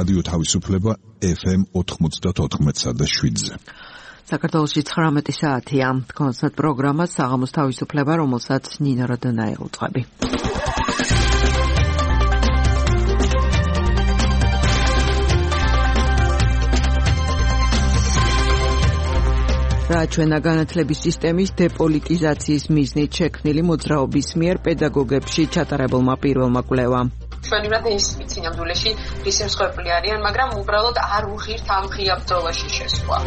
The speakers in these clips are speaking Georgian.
რადიო თავისუფლება FM 94.7-ზე. საქართველოში 19 საათია. კონცერტ პროგრამა საღამოს თავისუფლება, რომელსაც ნინო როდონაი უძღვები. რაჩვენა განათლების სისტემის დეპოლიტიზაციის მიზნით შექმნილი მოძრაობის მიერ პედაგოგებში ჩატარებულმა პირველმა კვლევამ. ჩვენი ინსტიტუტი ნამდვილში რისემსხვერპლი არიან, მაგრამ უბრალოდ არ უღირთ ამ ღია ბრძოლაში შესვლა.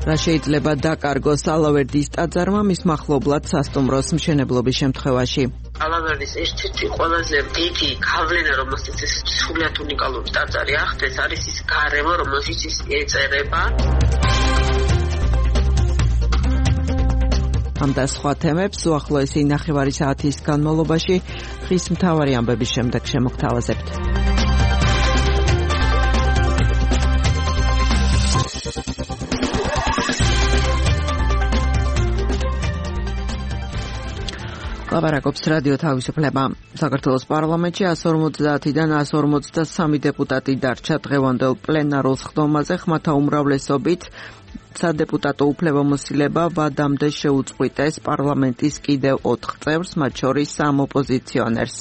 რა შეიძლება დაკარგოს ალავერდის ტაძარმა მის მახლობლად სასტუმროს მშენებლობის შემთხვევაში. ალავერდის ერთ-ერთი ყველაზე დიდი გავლენა, რომელსაც ეს სრულიად უნიკალური ტაძარი ახდენს, არის ის გარემო, რომელშიც ის ეწერება. ამ და სხვა თემებს უახლოესი ნახევარი საათის განმავლობაში ხის მთავარი ამბების შემდეგ შემოგთავაზებთ. ლაპარაკობს რადიო თავისუფლება. საქართველოს პარლამენტში 150-დან 153 დეპუტატი დარჩა დღევანდელ პლენარულ სხდომაზე, ხმათა უმრავლესობით სადეპუტატო უფლებამოსილება ვადამდე შეუწყვიტეს პარლამენტის კიდევ 4 წევრს, მათ შორის 3 ოპოზიციონერს.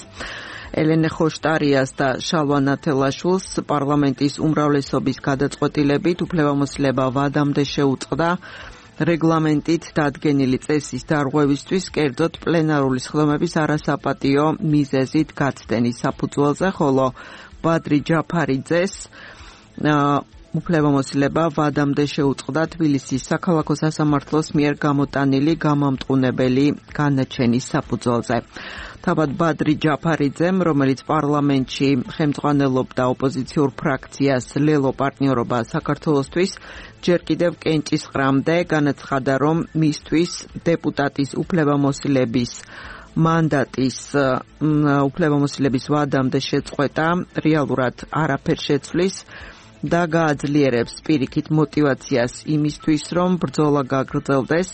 ელენე ხოშტარიას და შალვა ნათელაშვილს პარლამენტის უმრავლესობის გადაწყვეტილებით უფლებამოსილება ვადამდე შეუწყდა რეგლამენტით დადგენილი წესის დარღვევისთვის, კერძოდ პლენარული სხდომების არასაპატიო მიზეზით გაცდენის საფუძველზე, ხოლო ბადრი ჯაფარიძეს უფლებამოსილება ვადამდე შეუწყდა თბილისის საქალაქო სასამართლოს მიერ გამოტანილი გამამტყუნებელი განაჩენის საფუძველზე. თავად ბადრი ჯაფარიძემ, რომელიც პარლამენტში ხელმძღვანელობდა ოპოზიციურ ფრაქციას ლელო პარტნიორობა საქართველოსთვის, ჯერ კიდევ კენჭისყრამდე განაცხადა, რომ მისთვის დეპუტატის უფლებამოსილების მანდატის უფლებამოსილების ვადამდე შეწყვეტა რეალურად არაფერ შეცვლის და გააძლიერებს პირიქით მოტივაციას იმისთვის, რომ ბრძოლა გაგრძელდეს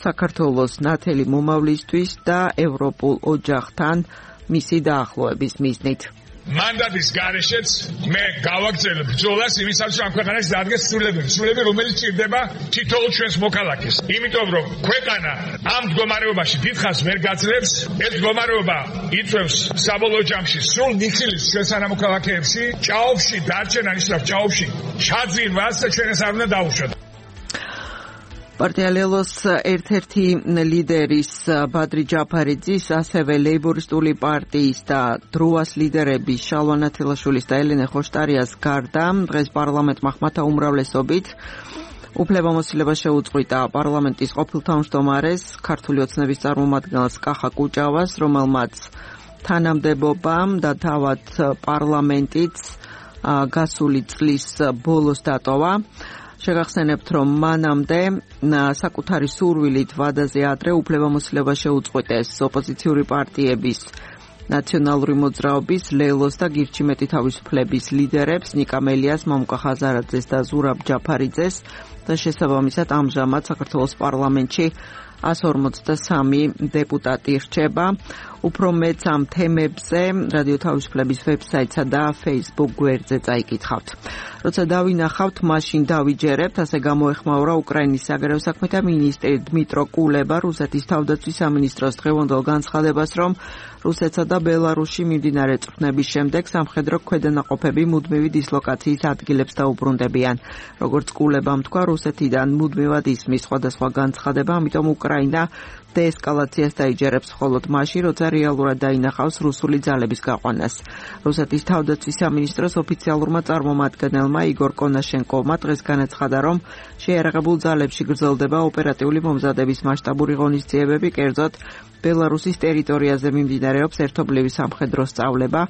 საქართველოს ნათელი მომავლისთვის და ევროპულ ოჯახთან მისი დაახლოების მიზნით. მანდატის გარეშეც მე გავაგრძელებ ბრძოლას იმისათვის, რომ ქვეყანაში დადგეს სრულები, რომელიც ჭირდება თითოეულ ჩვენს მოქალაქეს. იმიტომ რომ ქვეყანა ამ მდგომარეობაში დიდხანს ვერ გაძლებს, ეს მდგომარეობა იწვევს საბოლოო ჯამში სრულ ნიხილს ჩვენ სანამოქალაქეებში, ჭაობში დარჩენა ნიშნავს ჭაობში ჩაძირვას და ჩვენ ეს არ უნდა დავუშვათ. პარტია ლელოს ერთ-ერთი ლიდერის ბადრი ჯაფარიძის, ასევე ლეიბორისტული პარტიის და დროას ლიდერების შალვა ნათელაშვილის და ელენე ხოშტარიას გარდა დღეს პარლამენტმა ხმათა უმრავლესობით უფლებამოსილება შეუწყვიტა პარლამენტის ყოფილ თავმჯდომარეს, ქართული ოცნების წარმომადგენელს კახა კუჭავას, რომელმაც თანამდებობამ და თავად პარლამენტიც გასული წლის ბოლოს დატოვა. შეგახსენებთ, რომ მანამდე საკუთარი სურვილით ვადაზე ადრე უფლებამოსილება შეუწყვიტეს ოპოზიციური პარტიების ნაციონალური მოძრაობის, ლელოს და გირჩიმეტი თავისუფლების ლიდერებს ნიკა მელიას, მამუკა ხაზარაძეს და ზურაბ ჯაფარიძეს და შესაბამისად ამჟამად საქართველოს პარლამენტში 153 დეპუტატი რჩება. უფრო მეც ამ თემებზე რადიო თავისუფლების ვებსაიტსა და Facebook გვერდზე წაიკითხავთ. როცა დავინახავთ, მაშინ დავიჯერებთ, ასე გამოეხმაურა უკრაინის საგარეო საქმეთა მინისტრი დმიტრო კულება რუსეთის თავდაცვის სამინისტროს დღევანდელ განცხადებას, რომ რუსეთსა და ბელარუსში მიმდინარე წვრთნების შემდეგ სამხედრო ქვედანაყოფები მუდმივი დისლოკაციის ადგილებს დაუბრუნდებიან. როგორც კულებამ თქვა, რუსეთიდან მუდმივად ისმის სხვადასხვა განცხადება, ამიტომ უკრაინა დეესკალაციას დაიჯერებს მხოლოდ მაშინ, როცა რეალურად დაინახავს რუსული ძალების გაყვანას. რუსეთის თავდაცვის სამინისტროს ოფიციალურმა წარმომადგენელმა იგორ კონაშენკოვმა დღეს განაცხადა, რომ შეიარაღებულ ძალებში გრძელდება ოპერატიული მომზადების მასშტაბური ღონისძიებები, კერძოდ ბელარუსის ტერიტორიაზე მიმდინარეობს ერთობლივი სამხედრო სწავლება,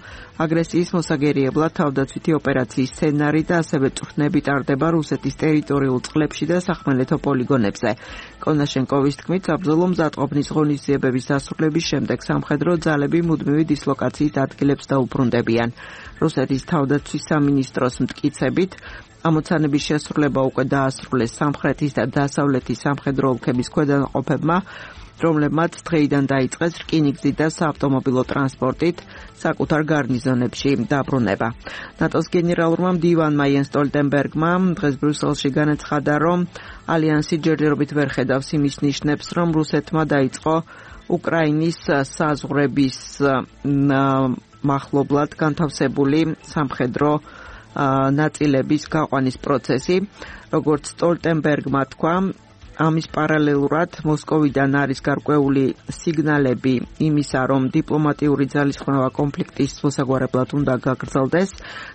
აგრესიის მოსაგერიებლად თავდაცვითი ოპერაციის სცენარი და ასევე წვრთნები ტარდება რუსეთის ტერიტორიულ წყლებში და სახმელეთო პოლიგონებზე. კონაშენკოვის თქმით, საბრძოლო მზადყოფნის ღონისძიებების დასრულების შემდეგ სამხედრო ძალები მუდმივი დისლოკაციის ადგილებს დაუბრუნდებიან. რუსეთის თავდაცვის სამინისტროს მტკიცებით, ამოცანების შესრულება უკვე დაასრულეს სამხრეთის და დასავლეთის სამხედრო ოლქების ქვედანაყოფებმა, რომლებმაც დღეიდან დაიწყეს რკინიგზით და საავტომობილო ტრანსპორტით საკუთარ გარნიზონებში დაბრუნება. ნატოს გენერალურმა მდივანმა იენს სტოლტენბერგმა დღეს ბრიუსელში განაცხადა, რომ ალიანსი ჯერჯერობით ვერ ხედავს იმის ნიშნებს, რომ რუსეთმა დაიწყო უკრაინის საზღვრების მახლობლად განთავსებული სამხედრო ნაწილების გაყვანის პროცესი. როგორც სტოლტენბერგმა თქვა, ამის პარალელურად მოსკოვიდან არის გარკვეული სიგნალები იმისა, რომ დიპლომატიური ძალისხმევა კონფლიქტის მოსაგვარებლად უნდა გაგრძელდეს.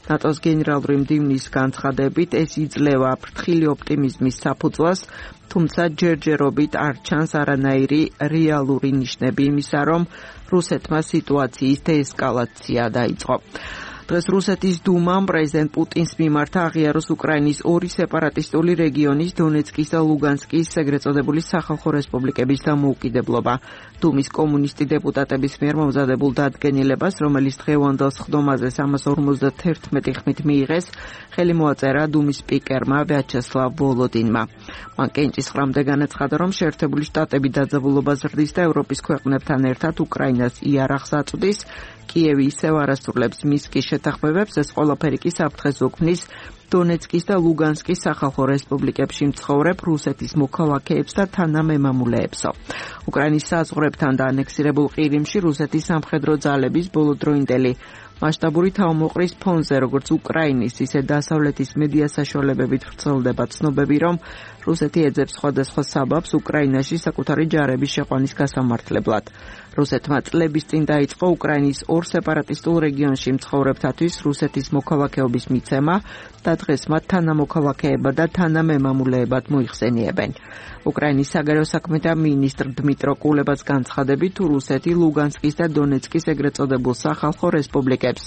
ნატოს გენერალური მდივნის განცხადებით ეს იძლევა ფრთხილი ოპტიმიზმის საფუძვლას, თუმცა ჯერჯერობით არ ჩანს არანაირი რეალური ნიშნები იმისა, რომ რუსეთმა სიტუაციის დეესკალაცია დაიწყო. დღეს რუსეთის დუმამ პრეზიდენტ პუტინს მიმართა აღიაროს უკრაინის ორი სეპარატისტული რეგიონის დონეცკის და ლუგანსკის ეგრეთ წოდებული სახალხო რესპუბლიკების დამოუკიდებლობა. დუმის კომუნისტი დეპუტატების მიერ მომზადებულ დადგენილებას, რომელიც დღევანდელ სხდომაზე 351 ხმით მიიღეს, ხელი მოაწერა დუმის სპიკერმა ვიაჩესლავ ვოლოდინმა. მან კენჭისყრამდე განაცხადა, რომ შეერთებული შტატები დაძაბულობას ზრდის და ევროპის ქვეყნებთან ერთად უკრაინას იარაღს აწვდის. კიევი ისევ არასრულებს მინსკის შეთანხმებებს, ეს ყველაფერი კი საფრთხეს უქმნის დონეცკის და ლუგანსკის სახალხო რესპუბლიკებში მცხოვრებ რუსეთის მოქალაქეებს და თანამემამულეებსო. უკრაინის საზღვრებთან და ანექსირებულ ყირიმში რუსეთის სამხედრო ძალების ბოლოდროინდელი მასშტაბური თავმოყრის ფონზე, როგორც უკრაინის, ისე დასავლეთის მედია საშუალებებით ვრცელდება ცნობები, რომ რუსეთი ეძებს სხვადასხვა საბაბს უკრაინაში საკუთარი ჯარების შეყვანის გასამართლებლად. რუსეთმა წლების წინ დაიწყო უკრაინის ორ სეპარატისტულ რეგიონში მცხოვრებთათვის რუსეთის მოქალაქეობის მიცემა და დღეს მათ თანამოქალაქეება და თანამემამულეებად მოიხსენიებენ. უკრაინის საგარეო საქმეთა მინისტრ დმიტრო კულებას განცხადებით, თუ რუსეთი ლუგანსკის და დონეცკის ეგრეთ წოდებულ სახალხო რესპუბლიკებს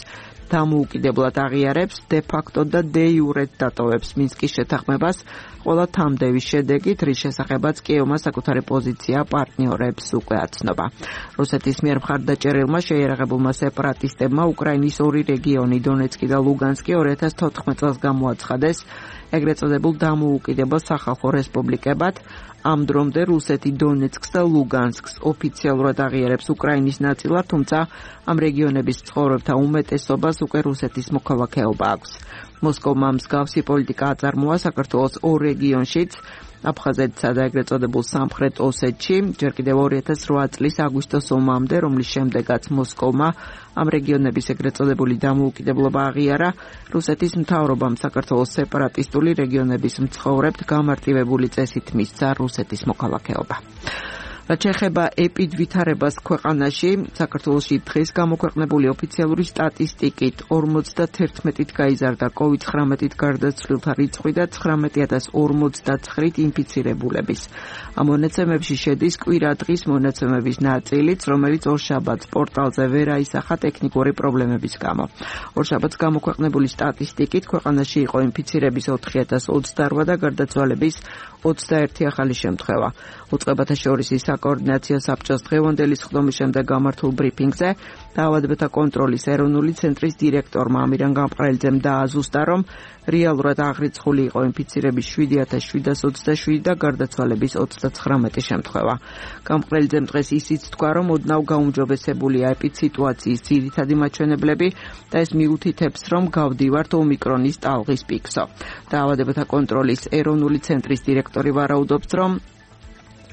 დამოუკიდებლად აღიარებს, დე ფაქტო და დე იურეთ დატოვებს მინსკის შეთანხმებას, ყველა თამდევის შედეგით, რის შესახებაც კიევმა საკუთარი პოზიცია პარტნიორებს უკვე აცნობა. რუსეთის მიერ მხარდაჭერილმა შეიარაღებულმა სეპარატისტებმა უკრაინის ორი რეგიონი, დონეცკი და ლუგანსკი 2014 წელს გამოაცხადეს ეგრეთ წოდებულ დამოუკიდებელ სახალხო რესპუბლიკებად. ამ დრომდე რუსეთი დონეცკს და ლუგანსკს ოფიციალურად აღიარებს უკრაინის ნაწილად, თუმცა ამ რეგიონების მცხოვრებთა უმეტესობას უკვე რუსეთის მოქალაქეობა აქვს. მოსკოვმა მსგავსი პოლიტიკა აწარმოა საქართველოს ორ რეგიონშიც, აფხაზეთსა და ეგრეთ წოდებულ სამხრეთ ოსეთში, ჯერ კიდევ 2008 წლის აგვისტოს ომამდე, რომლის შემდეგაც მოსკოვმა ამ რეგიონების ეგრეთ წოდებული დამოუკიდებლობა აღიარა, რუსეთის მთავრობამ საქართველოს სეპარატისტული რეგიონების მცხოვრებთ გამარტივებული წესით მისცა რუსეთის მოქალაქეობა. რაც შეეხება ეპიდვითარებას ქვეყანაში, საქართველოში დღეს გამოქვეყნებული ოფიციალური სტატისტიკით 51-ით გაიზარდა COVID-19-ით გარდაცვლილთა რიცხვი და 19,059 ინფიცირებულების. ამ მონაცემებში შედის კვირადღის მონაცემების ნაწილიც, რომელიც ორშაბათს პორტალზე ვერ აისახა ტექნიკური პრობლემების გამო. ორშაბათს გამოქვეყნებული სტატისტიკით ქვეყანაში იყო ინფიცირების 4028 და გარდაცვალების 21 ახალი შემთხვევა. უწყებათა შორის საკოორდინაციო საბჭოს დღევანდელი სხდომის შემდეგ გამართულ ბრიფინგზე დაავადებათა კონტროლის ეროვნული ცენტრის დირექტორმა ამირან გამყრელიძემ დააზუსტა, რომ რეალურად აღრიცხული იყო ინფიცირების 7727 და გარდაცვალების 39 შემთხვევა. გამყრელიძემ დღეს ისიც თქვა, რომ ოდნავ გაუმჯობესებულია ეპიდსიტუაციის ძირითადი მაჩვენებლები და ეს მიუთითებს, რომ გავდივართ ომიკრონის ტალღის პიკსო. დაავადებათა კონტროლის ეროვნული ცენტრის დირექტორი ვარაუდობს, რომ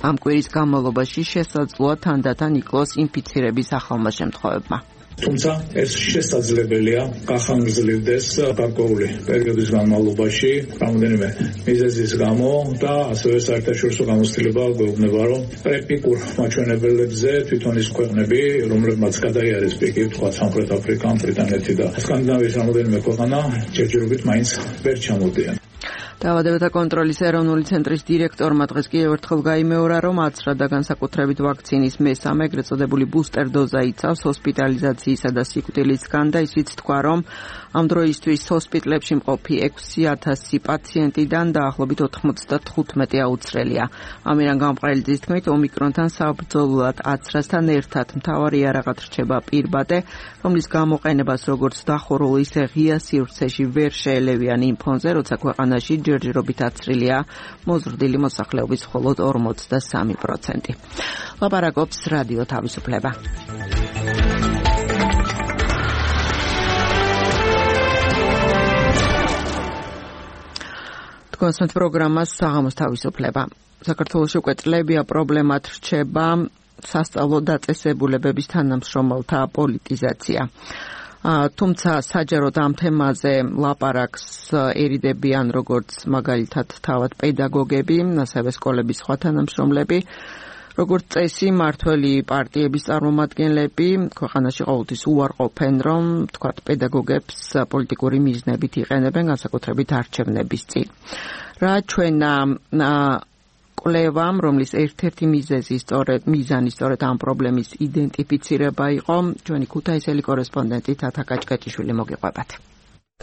ამ კვირის განმავლობაში შესაძლოა თანდათან იკლოს ინფიცირების ახალმა შემთხვევებმა. თუმცა ეს შესაძლებელია გახანგრძლივდეს გარკვეული პერიოდის განმავლობაში რამოდენიმე მიზეზის გამო და ასევე საერთაშორისო გამოცდილება გვეუბნება, რომ პრეპიკურ მაჩვენებლებზე თვითონ ის ქვეყნები, რომლებმაც გადაიარეს პიკი, თქვა სამხრეთ აფრიკა, ბრიტანეთი და სკანდინავიის რამოდენიმე ქვეყანა ჯერჯერობით მაინც ვერ ჩამოდიან. დაავადებათა კონტროლის ეროვნული ცენტრის დირექტორმა დღეს კიდევ ერთხელ გაიმეორა, რომ აცრა და განსაკუთრებით ვაქცინის მესამე ეგრეთ წოდებული ბუსტერ დოზა იცავს ჰოსპიტალიზაციისა და სიკვდილისგან და ისიც თქვა, რომ ამ დროისთვის ჰოსპიტლებში მყოფი 6000 პაციენტიდან დაახლოებით 95 აუცრელია. ამირან გამყრელიძის თქმით, ომიკრონთან საბრძოლოდ აცრასთან ერთად მთავარი იარაღად რჩება პირბადე, რომლის გამოყენებას როგორც დახურულ, ისე ღია სივრცეში ვერ შეელევიან იმ ფონზე, როცა ქვეყანაში ჯერჯერობით აცრილია, მოზრდილი მოსახლეობის მხოლოდ 43%. ლაპარაკობს რადიო თავისუფლება. კონსტანტ პროგრამას საღამოს თავისუფლება. საქართველოში უკვე წლებია პრობლემად რჩება სასწავლო დაწესებულებების თანამშრომელთა პოლიტიზაცია. თუმცა საჯაროდ ამ თემაზე ლაპარაკს ერიდებიან როგორც მაგალითად თავად პედაგოგები, ასევე სკოლების სხვა თანამშრომლები, როგორც წესი მართველი პარტიების წარმომადგენლები ქვეყანაში ყოველთვის უარყოფენ, რომ თქვათ პედაგოგებს პოლიტიკური მიზნებით იყენებენ, განსაკუთრებით არჩევნების წინ. რა ჩვენა კვლევამ, რომლის ერთ-ერთი მიზანი სწორედ ამ პრობლემის იდენტიფიცირება იყო, ჩვენი ქუთაისელი კორესპონდენტი თათა კაჭკაჭიშვილი მოგიყვებათ.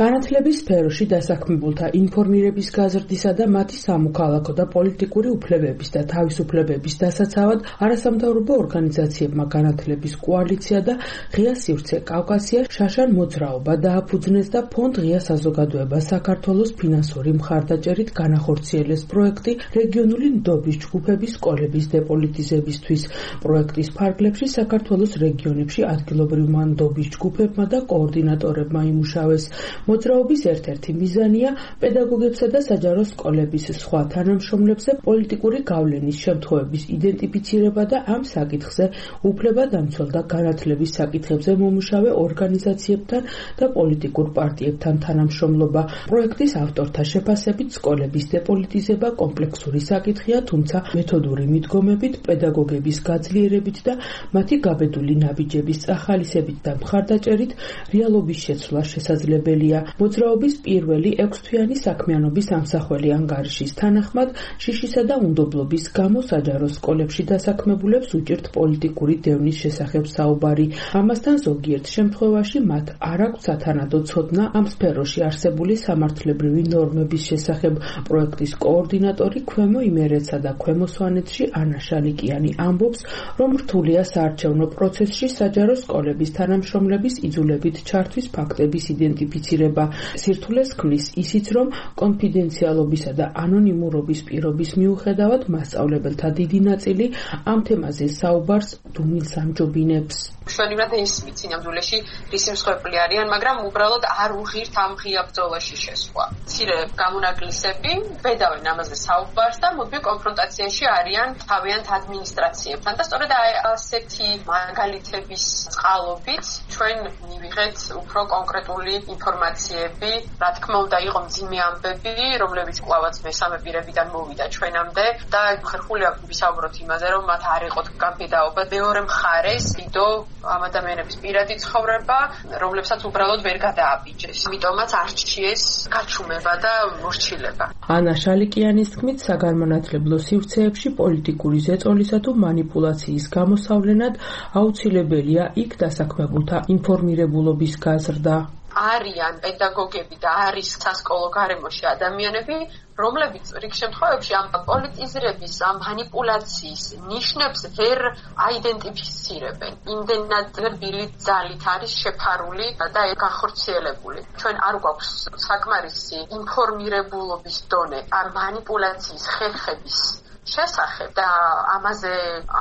განათლების სფეროში დასაქმებულთა ინფორმირების გაზრდისა და მათი სამოქალაქო და პოლიტიკური უფლებების და თავისუფლებების დასაცავად არასამთავრობო ორგანიზაციებმა განათლების კოალიცია და ღია სივრცე კავკასია შაშან მოძრაობა დააფუძნეს და ფონდ ღია საზოგადოება საქართველოს ფინანსური მხარდაჭერით განახორციელეს პროექტი რეგიონული ნდობის ჯგუფების სკოლების დეპოლიტიზებისთვის. პროექტის ფარგლებში საქართველოს რეგიონებში ადგილობრივმა ნდობის ჯგუფებმა და კოორდინატორებმა იმუშავეს. მოძრაობის ერთ-ერთი მიზანია პედაგოგებსა და საჯარო სკოლების სხვა თანამშრომლებზე პოლიტიკური გავლენის შემთხვევების იდენტიფიცირება და ამ საკითხზე უფლებადამცველ და განათლების საკითხებზე მომუშავე ორგანიზაციებთან და პოლიტიკურ პარტიებთან თანამშრომლობა. პროექტის ავტორთა შეფასებით სკოლების დეპოლიტიზება კომპლექსური საკითხია, თუმცა მეთოდური მიდგომებით, პედაგოგების გაძლიერებით და მათი გაბედული ნაბიჯების წახალისებით და მხარდაჭერით რეალობის შეცვლა შესაძლებელია. მოძრაობის პირველი 6-თვიანი საქმიანობის ამსახველი ანგარიშის თანახმად შიშისა და უნდობლობის გამო საჯარო სკოლებში დასაქმებულებს უჭირთ პოლიტიკური დევნის შესახებ საუბარი. ამასთან ზოგიერთ შემთხვევაში მათ არ აქვთ სათანადო ცოდნა ამ სფეროში არსებული სამართლებრივი ნორმების შესახებ. პროექტის კოორდინატორი ქვემო იმერეთსა და ქვემო სვანეთში ანა შალიკიანი ამბობს, რომ რთულია საარჩევნო პროცესში საჯარო სკოლების თანამშრომლების იძულებით ჩართვის ფაქტების იდენტიფიცირება. სირთულეს ქმნის ისიც, რომ კონფიდენციალობისა და ანონიმურობის პირობის მიუხედავად მასწავლებელთა დიდი ნაწილი ამ თემაზე საუბარს დუმილს ამჯობინებს. მშვენივრად ეს მიცინამდვილეში რისიმსხვეპლი არიან, მაგრამ უბრალოდ არ უღირთ ამ ღია ბრძოლაში შესვლა. მცირე გამონაკლისები ბედავენ ამაზე საუბარს და მუდმივ კონფრონტაციაში არიან თავიანთ ადმინისტრაციებთან და სწორედ ასეთი მაგალითების წყალობით ჩვენ მივიღეთ უფრო კონკრეტული ინფორმაციები, რა თქმა უნდა იყო მძიმე ამბები, რომლებიც კვლავაც მესამე პირებიდან მოვიდა ჩვენამდე და ხერხულია ვისაუბროთ იმაზე, რომ მათ არ იყო განბედაობა. მეორე მხარეს დიდო ამ ადამიანების პირადი ცხოვრება, რომლებსაც უბრალოდ ვერ გადააბიჯეს. ამიტომაც არჩიეს გაჩუმება და მორჩილება. ანა შალიკიანის თქმით, საგანმანათლებლო სივრცეებში პოლიტიკური ზეწოლისა თუ მანიპულაციის გამოსავლენად აუცილებელია იქ დასაქმებულთა ინფორმირებულობის გაზრდა. არიან პედაგოგები და არის სასკოლო გარემოში ადამიანები, რომლებიც რიგ შემთხვევებში ამ პოლიტიზირების, ამ მანიპულაციის ნიშნებს ვერ აიდენტიფიცირებენ. იმდენად რბილი ძალით არის შეფარული და განხორციელებული. ჩვენ არ გვაქვს საკმარისი ინფორმირებულობის დონე ამ მანიპულაციის ხერხების შესახებ და ამაზე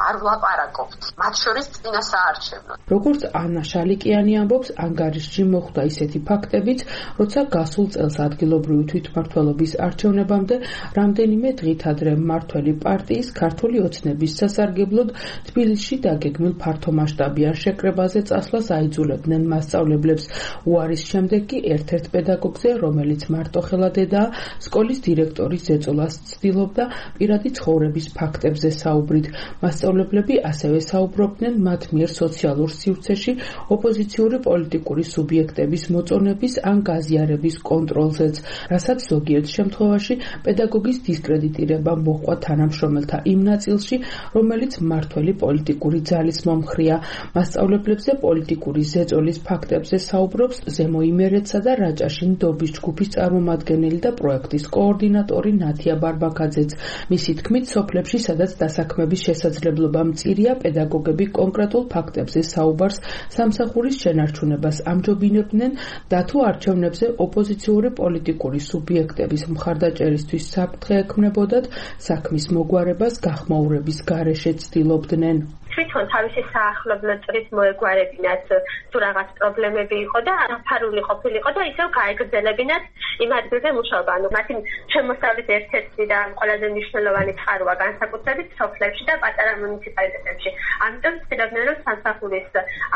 არ ვლაპარაკობთ. მათ შორის წინა საარჩევნო. როგორც ანა შალიკიანი ამბობს, ანგარიშში მოხვდა ისეთი ფაქტებიც, როცა გასულ წელს ადგილობრივი თვითმმართველობის არჩევნებამდე რამდენიმე დღით ადრე მმართველი პარტიის ქართული ოცნების სასარგებლოდ თბილისში დაგეგმილ ფართომასშტაბიან შეკრებაზე წასვლას აიძულებდნენ მასწავლებლებს. უარის შემდეგ კი ერთ-ერთ პედაგოგზე, რომელიც მარტოხელადედაა, სკოლის დირექტორის ზეწოლას ცდილობდა პირადი ცხოვრების ფაქტებზე საუბრით. მასწავლებლები ასევე საუბრობდნენ მათ მიერ სოციალურ სივრცეში ოპოზიციური პოლიტიკური სუბიექტების მოწონების ან გაზიარების კონტროლზეც, რასაც ზოგიერთ შემთხვევაში პედაგოგის დისკრედიტირება მოჰყვა თანამშრომელთა იმ ნაწილში, რომელიც მმართველი პოლიტიკური ძალის მომხრეა. მასწავლებლებზე პოლიტიკური ზეწოლის ფაქტებზე საუბრობს ზემო იმერეთსა და რაჭაში ნდობის ჯგუფის წარმომადგენელი და პროექტის კოორდინატორი ნათია ბარბაკაძეც. მისი თქმით, თქმით, სოფლებში, სადაც დასაქმების შესაძლებლობა მწირია, პედაგოგები კონკრეტულ ფაქტებზე საუბარს სამსახურის შენარჩუნებას ამჯობინებდნენ და თუ არჩევნებზე ოპოზიციური პოლიტიკური სუბიექტების მხარდაჭერისთვის საფრთხე ექმნებოდათ, საქმის მოგვარებას გახმაურების გარეშე ცდილობდნენ. თვითონ თავისი საახლობლო წრით მოეგვარებინათ თუ რაღაც პრობლემები იყო და დაფარული ყოფილიყო და ისევ გაეგრძელებინათ იმ ადგილზე მუშაობა. ანუ მათი შემოსავლის ერთ-ერთი და ყველაზე მნიშვნელოვანი წყაროა განსაკუთრებით სოფლებში და პატარა მუნიციპალიტეტებში. ამიტომ ცდილობდნენ რომ სამსახურის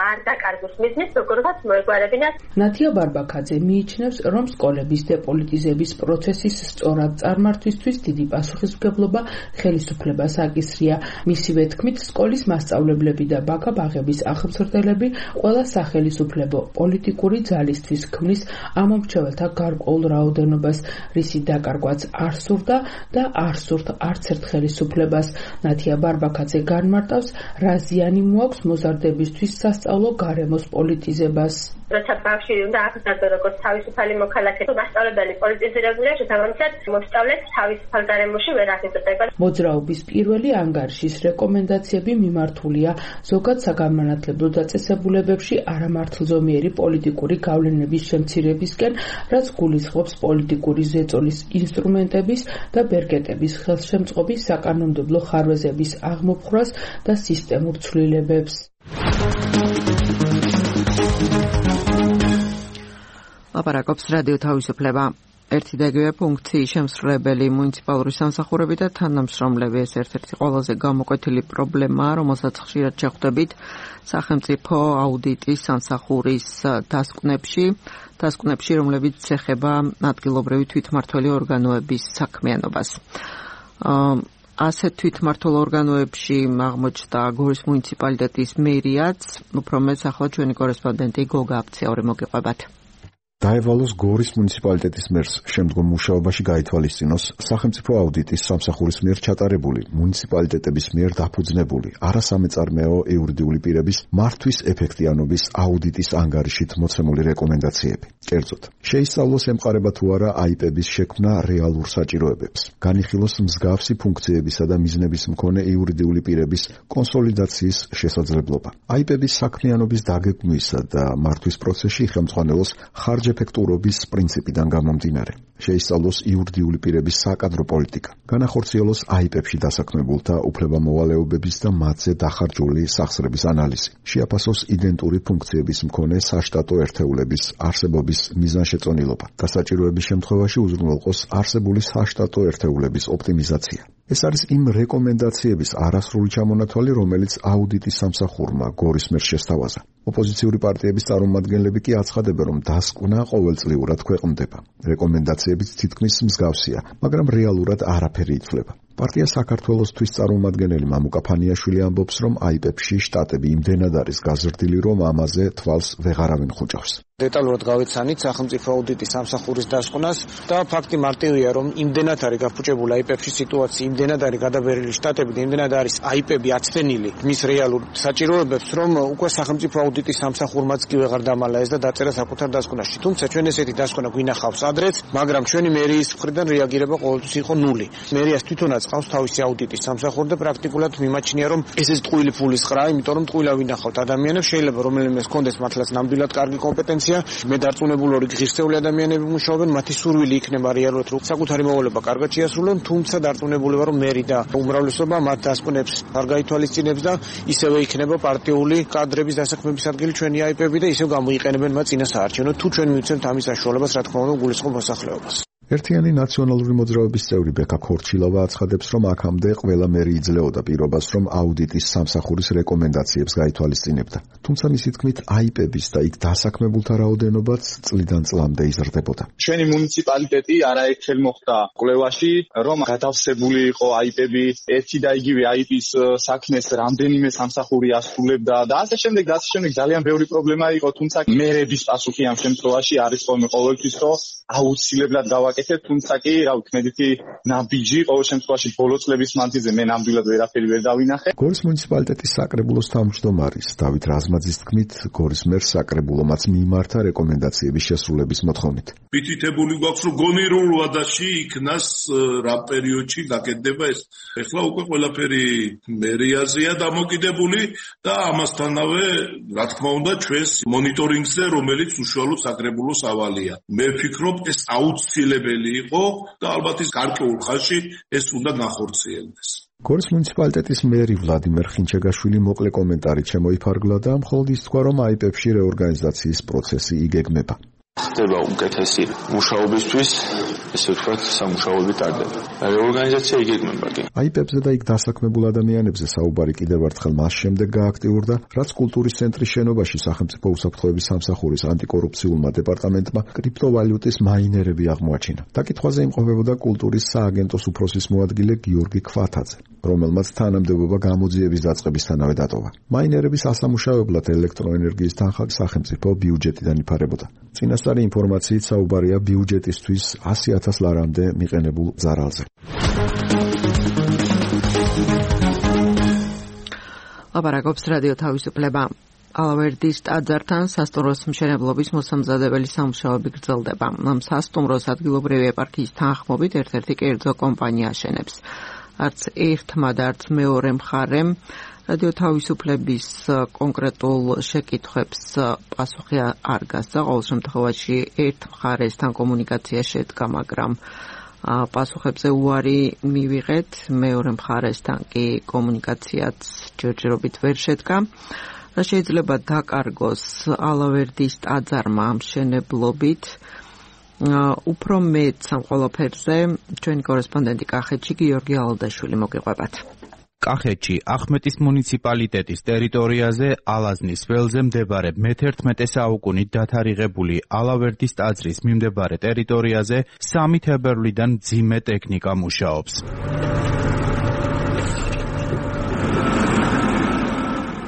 არ დაკარგვის მიზნით როგორღაც მოეგვარებინათ. ნათია ბარბაქაძე მიიჩნევს, რომ სკოლების დეპოლიტიზების პროცესის სწორად წარმართვისთვის დიდი პასუხისმგებლობა ხელისუფლებას აკისრია. მისივე თქმით, სკოლის მასწავლებლები და ბაქაბაღების ახალმცირდელები ყველა სახელისუფლებო პოლიტიკური ძალისთვის ქმნის ამომრჩეველთა გარკვეულ რაოდენობას, რისი დაკარგვაც არ სურდა და არ სურთ არც ერთ ხელისუფლებას. ნათია ბარბაქაძე განმარტავს, რა ზიანი მოაქვს მოზარდებისთვის სასწავლო გარემოს პოლიტიზებას. როცა ბავშვი უნდა აღზარდო როგორც თავისუფალი მოქალაქე, მასწავლებელი პოლიტიზირებულია, შესაბამისად მოსწავლეს თავისუფალ გარემოში ვერ აღიზრდება. მოძრაობის პირველი ანგარიშის რეკომენდაციები მიმართულია ზოგად საგანმანათლებლო დაწესებულებებში არამართლზომიერი პოლიტიკური გავლენების შემცირებისკენ, რაც გულისხმობს პოლიტიკური ზეწოლის ინსტრუმენტების და ბერკეტების ხელშემწყობის საკანონმდებლო ხარვეზების აღმოფხვრას და სისტემურ ცვლილებებს. ლაპარაკობს რადიო თავისუფლება. ერთი და იგივე ფუნქციის შემსრულებელი მუნიციპალური სამსახურები და თანამშრომლები ეს ერთ-ერთი ყველაზე გამოკვეთილი პრობლემაა, რომელსაც ხშირად შეხვდებით სახელმწიფო აუდიტის სამსახურის დასკვნებში, რომლებიც ეხება ადგილობრივი თვითმმართველი ორგანოების საქმიანობას. ასეთ თვითმმართველ ორგანოებში აღმოჩნდა გორის მუნიციპალიტეტის მერიაც, უფრო მეტ ახლა ჩვენი კორესპონდენტი გოგა აფციური მოგიყვებათ. დაევალოს გორის მუნიციპალიტეტის მერს შემდგომ მუშაობაში გაითვალისწინოს სახელმწიფო აუდიტის სამსახურის მიერ ჩატარებული მუნიციპალიტეტების მიერ დაფუძნებული არასამეწარმეო იურიდიული პირების მართვის ეფექტიანობის აუდიტის ანგარიშით მოცემული რეკომენდაციები. კერძოდ, შეისწავლოს ემყარება თუ არა აიპების შექმნა რეალურ საჭიროებებს, განიხილოს მსგავსი ფუნქციებისა და მიზნების მქონე იურიდიული პირების კონსოლიდაციის შესაძლებლობა. აიპების საქმიანობის დაგეგმვისა და მართვის პროცესში ხელმძღვანელოს ხარჯეფექტურობის პრინციპიდან გამომდინარე. შეისწავლოს იურიდიული პირების საკადრო პოლიტიკა. განახორციელოს აიპებში დასაქმებულთა უფლებამოვალეობების და მათზე დახარჯული სახსრების ანალიზი. შეაფასოს იდენტური ფუნქციების მქონე საშტატო ერთეულების არსებობის მიზანშეწონილობა. დასაჭიროების შემთხვევაში უზრუნველყოს არსებული საშტატო ერთეულების ოპტიმიზაცია. ეს არის იმ რეკომენდაციების არასრული ჩამონათვალი, რომელიც აუდიტის სამსახურმა გორის მერს შესთავაზა. ოპოზიციური პარტიების წარმომადგენლები კი აცხადებენ, რომ დასკვნა ყოველწლიურად ქვეყნდება. რეკომენდაციებიც თითქმის მსგავსია, მაგრამ რეალურად არაფერი იცვლება. პარტია საქართველოსთვის წარმომადგენელი მამუკა ფანიაშვილი ამბობს, რომ აიპებში შტატები იმდენად არის გაზრდილი, რომ ამაზე თვალს ვეღარავინ ხუჭავს. დეტალურად გავეცანით სახელმწიფო აუდიტის სამსახურის დასკვნას და ფაქტი მარტივია, რომ იმდენად არის გაფუჭებული აიპებში სიტუაცია, იმდენად არის გადაბერილი შტატები და იმდენად არის აიპები აცდენილი მის რეალურ საჭიროებებს, რომ უკვე სახელმწიფო აუდიტის სამსახურმაც კი ვეღარ დამალა ეს და დაწერა საკუთარ დასკვნაში. თუმცა ჩვენ ესეთი დასკვნა გვინახავს ადრეც, მაგრამ ჩვენი მერიის მხრიდან რეაგირება ყოველთვის იყო ნული. მერიას თვითონაც ყავს თავისი აუდიტის სამსახური და პრაქტიკულად მიმაჩნია, რომ ეს ტყუილი ფულის ყრაა, იმიტომ რომ ტყუილა ვინახავთ ადამიანებს, შეიძლება რომელიმეს კონდეს მართლაც ნამდვილად კარგი კომპეტენცია. მე დარწმუნებული ვარ, ღირსეული ადამიანები მუშაობენ, მათი სურვილი იქნება რეალურად რომ საკუთარი მოვალეობა კარგად შეასრულონ, თუმცა დარწმუნებული ვარ, რომ მერი და უმრავლესობა მათ დასკვნებს არ გაითვალისწინებს და ისევე იქნება პარტიული კადრების დასაქმების ადგილი ჩვენი აიპები და ისევ გამოიყენებენ მათ წინასაარჩევნოდ, თუ ჩვენ მივცემთ ამის საშუალებას, რა თქმა უნდა, გულისხმობ მოსახლეობას. ერთიანი ნაციონალური მოძრაობის წევრი ბექა ქორჩილავა აცხადებს, რომ აქამდე ყველა მერი იძლეოდა პირობას, რომ აუდიტის სამსახურის რეკომენდაციებს გაითვალისწინებდა. თუმცა მისი თქმით, აიპების და იქ დასაქმებულთა რაოდენობაც წლიდან წლამდე იზრდებოდა. ჩვენი მუნიციპალიტეტი არაერთხელ მოხდა კვლევაში, რომ გათავსებული იყო აიპები, ერთი და იგივე აიპის საქმეს რამდენიმე სამსახური ასრულებდა და ასე შემდეგ ძალიან ბევრი პრობლემა იყო, თუმცა მერების პასუხი ამ შემთხვევაში არის ყოველთვის, რომ აუცილებლად გავაკეთებთ, თუმცა კი, რა ვიცი, მედიცი ნაბიჯი, ყოველ შემთხვევაში ბოლო წლების მანძილზე მე ნამდვილად ვერაფერი ვერ დავინახე. გორის მუნიციპალიტეტის საკრებულოს თავმჯდომარის დავით რაზმაძის თქმით, გორის მერს საკრებულომაც მიიმართა რეკომენდაციების შესრულების მოთხოვნით. მითითებული გვაქვს, რომ გონიურ ვადაში იქნას რა პერიოდში გაკეთდება ეს. ეხლა უკვე ყველაფერი მერიაზეა დამოკიდებული და ამასთანავე, რა თქმა უნდა, ჩვენს მონიტორინგზე, რომელიც უშუალოდ საკრებულოს ავალია. მე ვფიქრობ, ეს აუცილებელი იყო და ალბათ ის გარკვეულ ხანში ეს უნდა განხორციელდეს. გორის მუნიციპალიტეტის მერი ვლადიმერ ხინჩეგაშვილი მოკლე კომენტარით შემოიფარგლა და მხოლოდ ის თქვა, რომ აიპებში რეორგანიზაციის პროცესი იგეგმება. ხდება უკეთესი მუშაობისთვის, ესე ვთქვათ, სამუშაოები ტარდება. რეორგანიზაცია იგეგმება კი. აიპებზე და იქ დასაქმებულ ადამიანებზე საუბარი კიდევ ერთხელ მას შემდეგ გააქტიურდა, რაც კულტურის ცენტრის შენობაში სახელმწიფო უსაფრთხოების სამსახურის ანტიკორუფციულმა დეპარტამენტმა კრიპტოვალიუტის მაინერები აღმოაჩინა. დაკითხვაზე იმყოფებოდა კულტურის სააგენტოს უფროსის მოადგილე გიორგი ქვათაძე, რომელმაც თანამდებობა გამოძიების დაწყებისთანავე დატოვა. მაინერების ასამუშავებლად ელექტროენერგიის თანხა სახელმწიფო ბიუჯეტიდან იფარებოდა. წინასწარი ინფორმაციით საუბარია ბიუჯეტისთვის 100,000 ლარამდე მიყენებულ ზარალზე. ლაპარაკობს რადიო თავისუფლება. ალავერდის ტაძართან სასტუმროს მშენებლობის მოსამზადებელი სამუშაოები გრძელდება. ამ სასტუმროს ადგილობრივი ეპარქიის თანხმობით ერთ-ერთი კერძო კომპანია აშენებს. არც ერთმა და არც მეორე მხარემ რადიო თავისუფლების კონკრეტულ შეკითხვებს პასუხი არ გასცა. ყოველ შემთხვევაში ერთ მხარესთან კომუნიკაცია შედგა, მაგრამ პასუხებზე უარი მივიღეთ. მეორე მხარესთან კი კომუნიკაციაც ჯერჯერობით ვერ შედგა. რა შეიძლება დაკარგოს ალავერდის ტაძარმა ამ მშენებლობით? უფრო მეტ ამ ყველაფერზე ჩვენი კორესპონდენტი კახეთში გიორგი ალადაშვილი მოგიყვებათ. კახეთში ახმეტის მუნიციპალიტეტის ტერიტორიაზე ალაზნის ველზე მდებარე მე-11 საუკუნით დათარიღებული ალავერდის ტაძრის მიმდებარე ტერიტორიაზე 3 თებერვლიდან მძიმე ტექნიკა მუშაობს.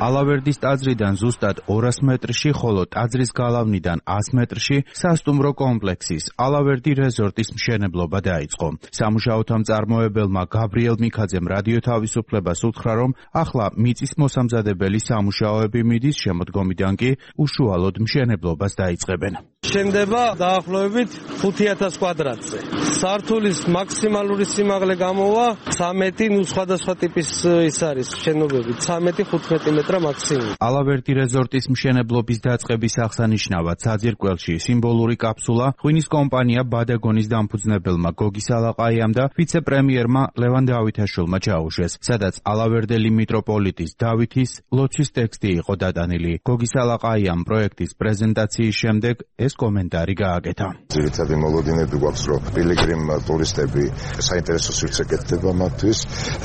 ალავერდის ტაძრიდან ზუსტად 200 მეტრში, ხოლო ტაძრის გალავნიდან 100 მეტრში სასტუმრო კომპლექსის ალავერდი რეზორტის მშენებლობა დაიწყო. სამუშაოთა მწარმოებელმა გაბრიელ მიქაძემ რადიო თავისუფლებას უთხრა, რომ ახლა მიწის მოსამზადებელი სამუშაოები მიდის, შემოდგომიდან კი უშუალოდ მშენებლობას დაიწყებენ. შენდება დაახლოებით 5,000 კვადრატზე. სართულის მაქსიმალური სიმაღლე გამოვა 13, ნუ სხვადასხვა ტიპის ის არის შენობები, 13-15 მეტრა მაქსიმუმ. ალავერდი რეზორტის მშენებლობის დაწყების აღსანიშნავად საძირკველში სიმბოლური კაფსულა ღვინის კომპანია ბადაგონის დამფუძნებელმა გოგი სალაყაიამ და ვიცე-პრემიერმა ლევან დავითაშვილმა ჩაუშვეს, სადაც ალავერდელი მიტროპოლიტის დავითის ლოცვის ტექსტი იყო დატანილი. გოგი სალაყაიამ პროექტის პრეზენტაციის შემდეგ ეს კომენტარი გააკეთა. ძირითადი მოლოდინები გვაქვს, რომ პილიგრიმ ტურისტები საინტერესო სივრცე კეთდება მათთვის.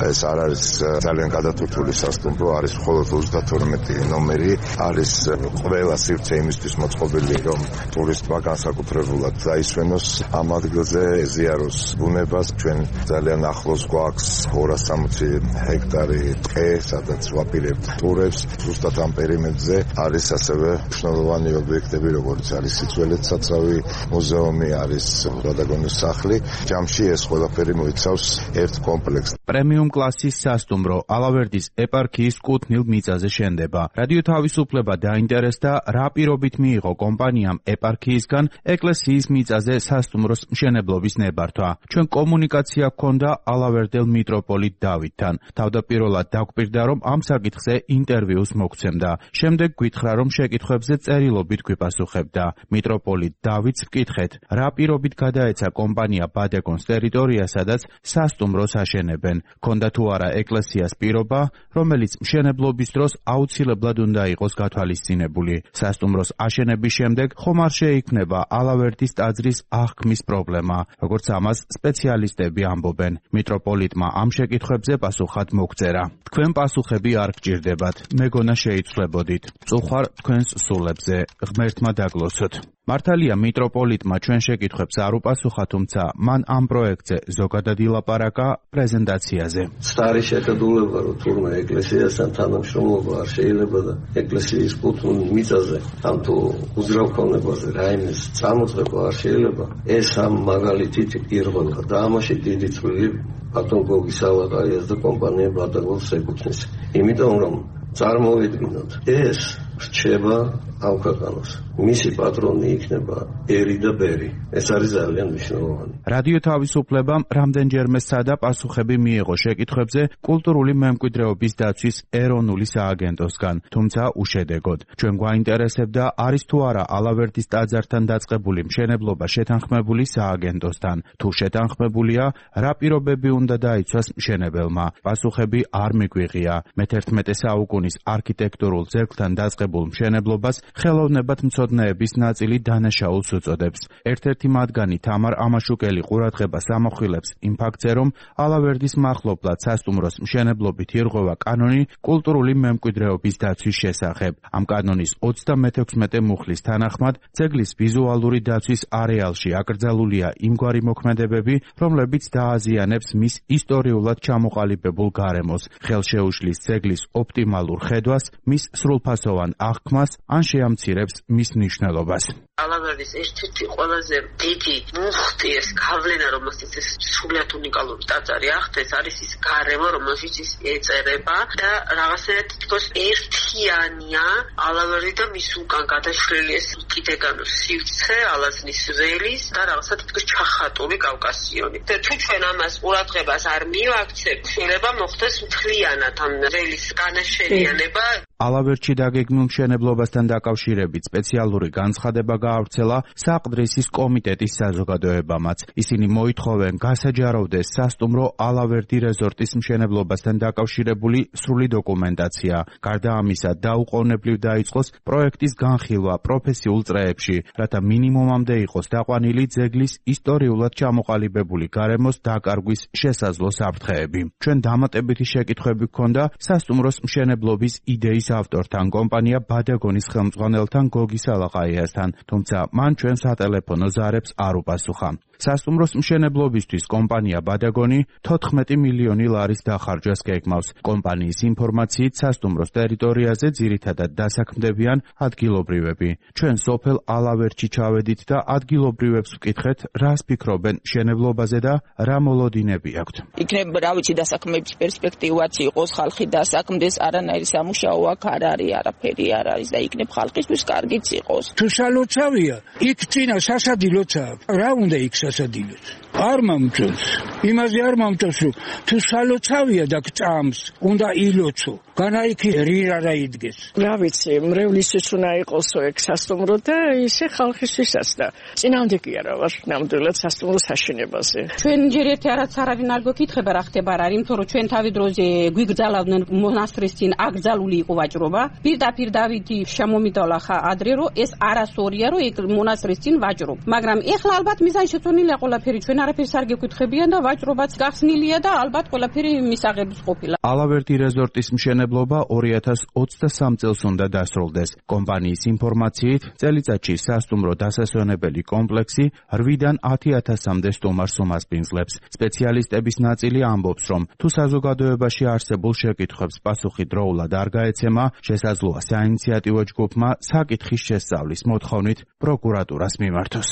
ეს არ არის ძალიან გადატვირთული სასტუმრო, არის მხოლოდ 32 ნომერი, არის ყველა სივრცე იმისთვის მოწყობილი, რომ ტურისტმა განსაკუთრებულად დაისვენოს ამ ადგილზე, ეზიაროს ბუნებას. ჩვენ ძალიან ახლოს გვაქვს 260 ჰექტარი ტყე, სადაც ვაპირებთ ტურებს. ზუსტად ამ პერიმეტრზე არის ასევე მნიშვნელოვანი ობიექტები, როგორც არის სიცველეთ საცავი, მუზეუმი, არის ბადაგონის სახლი. ჯამში ეს ყველაფერი მოიცავს ერთ კომპლექსს. პრემიუმ კლასის სასტუმრო ალავერდის ეპარქიის კუთვნილ მიწაზე შენდება. რადიო თავისუფლება დაინტერესდა, რა პირობით მიიღო კომპანიამ ეპარქიისგან ეკლესიის მიწაზე სასტუმროს მშენებლობის ნებართვა. ჩვენ კომუნიკაცია გქონდა ალავერდელ მიტროპოლიტ დავითთან. თავდაპირველად დაგვპირდა, რომ ამ საკითხზე ინტერვიუს მოგცემდა. შემდეგ გვითხრა, რომ შეკითხვებზე წერილობით გვიპასუხებდა. მიტროპოლიტ დავითს ვკითხეთ, რა პირობით გადაეცა კომპანია ბადაგონს ტერიტორია, სადაც სასტუმროს აშენებენ. ქონდა თუ არა ეკლესიას პირობა, რომელიც მშენებლობის დროს აუცილებლად უნდა იყოს გათვალისწინებული. სასტუმროს აშენების შემდეგ ხომ არ შეიქმნება ალავერდის ტაძრის აღქმის პრობლემა, როგორც ამას სპეციალისტები ამბობენ. მიტროპოლიტმა ამ შეკითხვებზე პასუხად მოგწერა. თქვენ პასუხები არ გჭირდებათ, მეგონა შეიცვლებოდით. წუხარ თქვენს სულებზე, ღმერთმა დაგლოცოთ. მართალია მიტროპოლიტმა ჩვენ შეკითხვებს არ უპასუხა, თუმცა მან ამ პროექტზე ზოგადად ილაპარაკა პრეზენტაციაზე. Stari შეთქმულება, რომ თურმე ეკლესიასთან თანამშრომლობა არ შეიძლება და ეკლესიის კუთვნილ მიწაზე ამ თუ უზრუნველყოფაზე რაიმეს წამოწება არ შეიძლება. ეს ამ მაგალითით პირველად და ამაში დიდი წვლილი ბატონ გოგი სალაყაიას და კომპანია ბატაგოს ეკუთვნის. იმიტომ რომ წარმოვიდგინოთ, ეს რჩება ამ ქვეყანას. მისი პატრონი იქნება ერი და ბერი. ეს არის ძალიან მნიშვნელოვანი. რადიო თავისუფლებამ რამდენჯერმე სადა პასუხები მიიღო შეკითხვებზე კულტურული მემკვიდრეობის დაცვის ეროვნული სააგენტოსგან, თუმცა უშედეგოდ. ჩვენ გვაინტერესებდა, არის თუ არა ალავერდის ტაძართან დაწყებული მშენებლობა შეთანხმებული სააგენტოსთან. თუ შეთანხმებულია, რა პირობები უნდა დაიცვას მშენებელმა? პასუხები არ მიგვიღია. მე-11 საუკუნის არქიტექტურულ ძეგლთან დაწყებულ მშენებლობას ხელოვნებად მცოდნეების ნაწილი დანაშაულს უწოდებს. ერთ-ერთი მათგანი თამარ ამაშუკელი ყურადღებას ამახვილებს იმ ფაქტზე, რომ ალავერდის მახლობლად სასტუმროს მშენებლობით ირღვევა კანონი კულტურული მემკვიდრეობის დაცვის შესახებ. ამ კანონის 36 მუხლის თანახმად ძეგლის ვიზუალური დაცვის არეალში აკრძალულია იმგვარი მოქმედებები, რომლებიც დააზიანებს მის ისტორიულად ჩამოყალიბებულ გარემოს, ხელშეუშლის ძეგლის ოპტიმალურ ხედვას, მის სრულფასოვან აღქმას ან შეამცირებს მის მნიშვნელობას. ალავერდის ერთ-ერთი ყველაზე დიდი მუხტი ეს გავლენა, რომელსაც ეს სრულიად უნიკალური ტაძარი ახდენს, არის ის გარემო, რომელშიც ის ეწერება და რაღაცნაირად თითქოს ერთიანია ალავერდი და მის უკან გადაშლილი ეს კიდეგანოს სივრცე, ალაზნის ველის და რაღაცა თითქოს ჩახატული კავკასიონი. და თუ ჩვენ ამას ყურადღებას არ მივაქცევთ, შეიძლება მოხდეს მთლიანად ამ ველის განაშენიანება. ალავერდში დაგეგმილ მშენებლობასთან დაკავშირებით სპეციალური განცხადება გაავრცელა საყდრისის კომიტეტის საზოგადოებამაც. ისინი მოითხოვენ გასაჯაროვდეს სასტუმრო ალავერდი რეზორტის მშენებლობასთან დაკავშირებული სრული დოკუმენტაცია. გარდა ამისა, დაუყოვნებლივ დაიწყოს პროექტის განხილვა პროფესიულ წრეებში, რათა მინიმუმამდე იყოს დაყვანილი ძეგლის ისტორიულად ჩამოყალიბებული გარემოს დაკარგვის შესაძლო საფრთხეები. ჩვენ დამატებითი შეკითხვები გქონდა სასტუმროს მშენებლობის იდეის ავტორთან, კომპანია ბადაგონის ხელმძღვანელთან გოგი სალაყაიასთან, თუმცა მან ჩვენ სატელეფონო ზარებს არ უპასუხა. სასტუმროს მშენებლობისთვის კომპანია ბადაგონი 14 მილიონი ლარის დახარჯვას გეგმავს. კომპანიის ინფორმაციით სასტუმროს ტერიტორიაზე ძირითადად დასაქმდებიან ადგილობრივები. ჩვენ სოფელ ალავერდში ჩავედით და ადგილობრივებს ვკითხეთ, რას ფიქრობენ მშენებლობაზე და რა მოლოდინები აქვთ. იქნებ რა ვიცი დასაქმების პერსპექტივაც იყოს, ხალხი დასაქმდეს, არანაირი სამუშაო აქ არ არის, არაფერი არ არის და იქნებ ხალხისთვის კარგიც იყოს. თუ სალოცავია, იქ წინა სასადილოცა, რა უნდა იქ სასადილოც? არ მომწონს. იმაზე არ მომწონს, რომ თუ სალოცავია და გწამს, უნდა ილოცო. განაიქი რირარა იდგეს. რა ვიცი, მრევლისთვის უნდა იყოსო ეგ სასტუმრო და ისე ხალხისთვისაც და წინამდე კი არა ვარ ნამდვილად სასტუმროს აშენებაზე. ჩვენ ჯერ ერთი არაც არ არის ნარგო კითხება რა ხდება რა, იმიტომ რომ ჩვენ თავი დროზე გვიგრძალავდნენ მონასტრის წინ აკრძალული იყო ვაჭრობა. პირდაპირ დავითი შემომიდალა ხა ადრე რომ ეს არასორია რომ ეგ მონასტრის წინ ვაჭრობ. მაგრამ ეხლა ალბათ მიზანშეწონილია ყველაფერი, ჩვენ არაფერს არ გეკითხებიან და ვაჭრობაც გახსნილია და ალბათ ყველაფერი მისაღების ყოფილა. ალავერდი რეზორტის მშენებლობა 2023 წელს უნდა დასრულდეს. კომპანიის ინფორმაციით, წელიწადში სასტუმრო დასასვენებელი კომპლექსი 8-დან 10,000-მდე სტუმარს უმასპინძლებს. სპეციალისტების ნაწილი ამბობს, რომ თუ საზოგადოებაში არსებულ შეკითხვებს პასუხი დროულად არ გაეცემა, შესაძლოა საინიციატივო ჯგუფმა საკითხის შესწავლის მოთხოვნით პროკურატურას მიმართოს.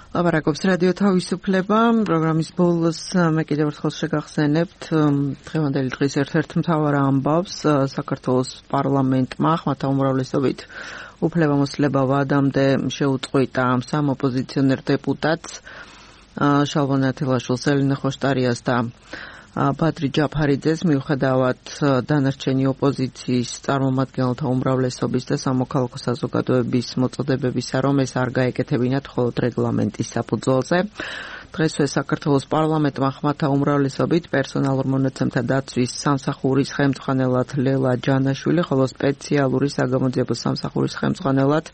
ლაპარაკობს რადიო თავისუფლება. პროგრამის ბოლოს მე კიდევ ერთხელ შეგახსენებთ დღევანდელი დღის ერთ-ერთ მთავარ ამბავს. საქართველოს პარლამენტმა ხმათა უმრავლესობით უფლებამოსილება ვადამდე შეუწყვიტა სამ ოპოზიციონერ დეპუტატს შალვან ათილაშვილს, ელენე ხოშტარიას და ბადრი ჯაფარიძეს, მიუხედავად დანარჩენი ოპოზიციის წარმომადგენელთა უმრავლესობის და სამოქალაქო საზოგადოების მოწოდებებისა, რომ ეს არ გაეკეთებინათ მხოლოდ რეგლამენტის საფუძველზე. დღესვე საქართველოს პარლამენტმა ხმათა უმრავლესობით პერსონალურ მონაცემთა დაცვის სამსახურის ხელმძღვანელად ლელა ჯანაშვილი, ხოლო სპეციალური საგამოძიებო სამსახურის ხელმძღვანელად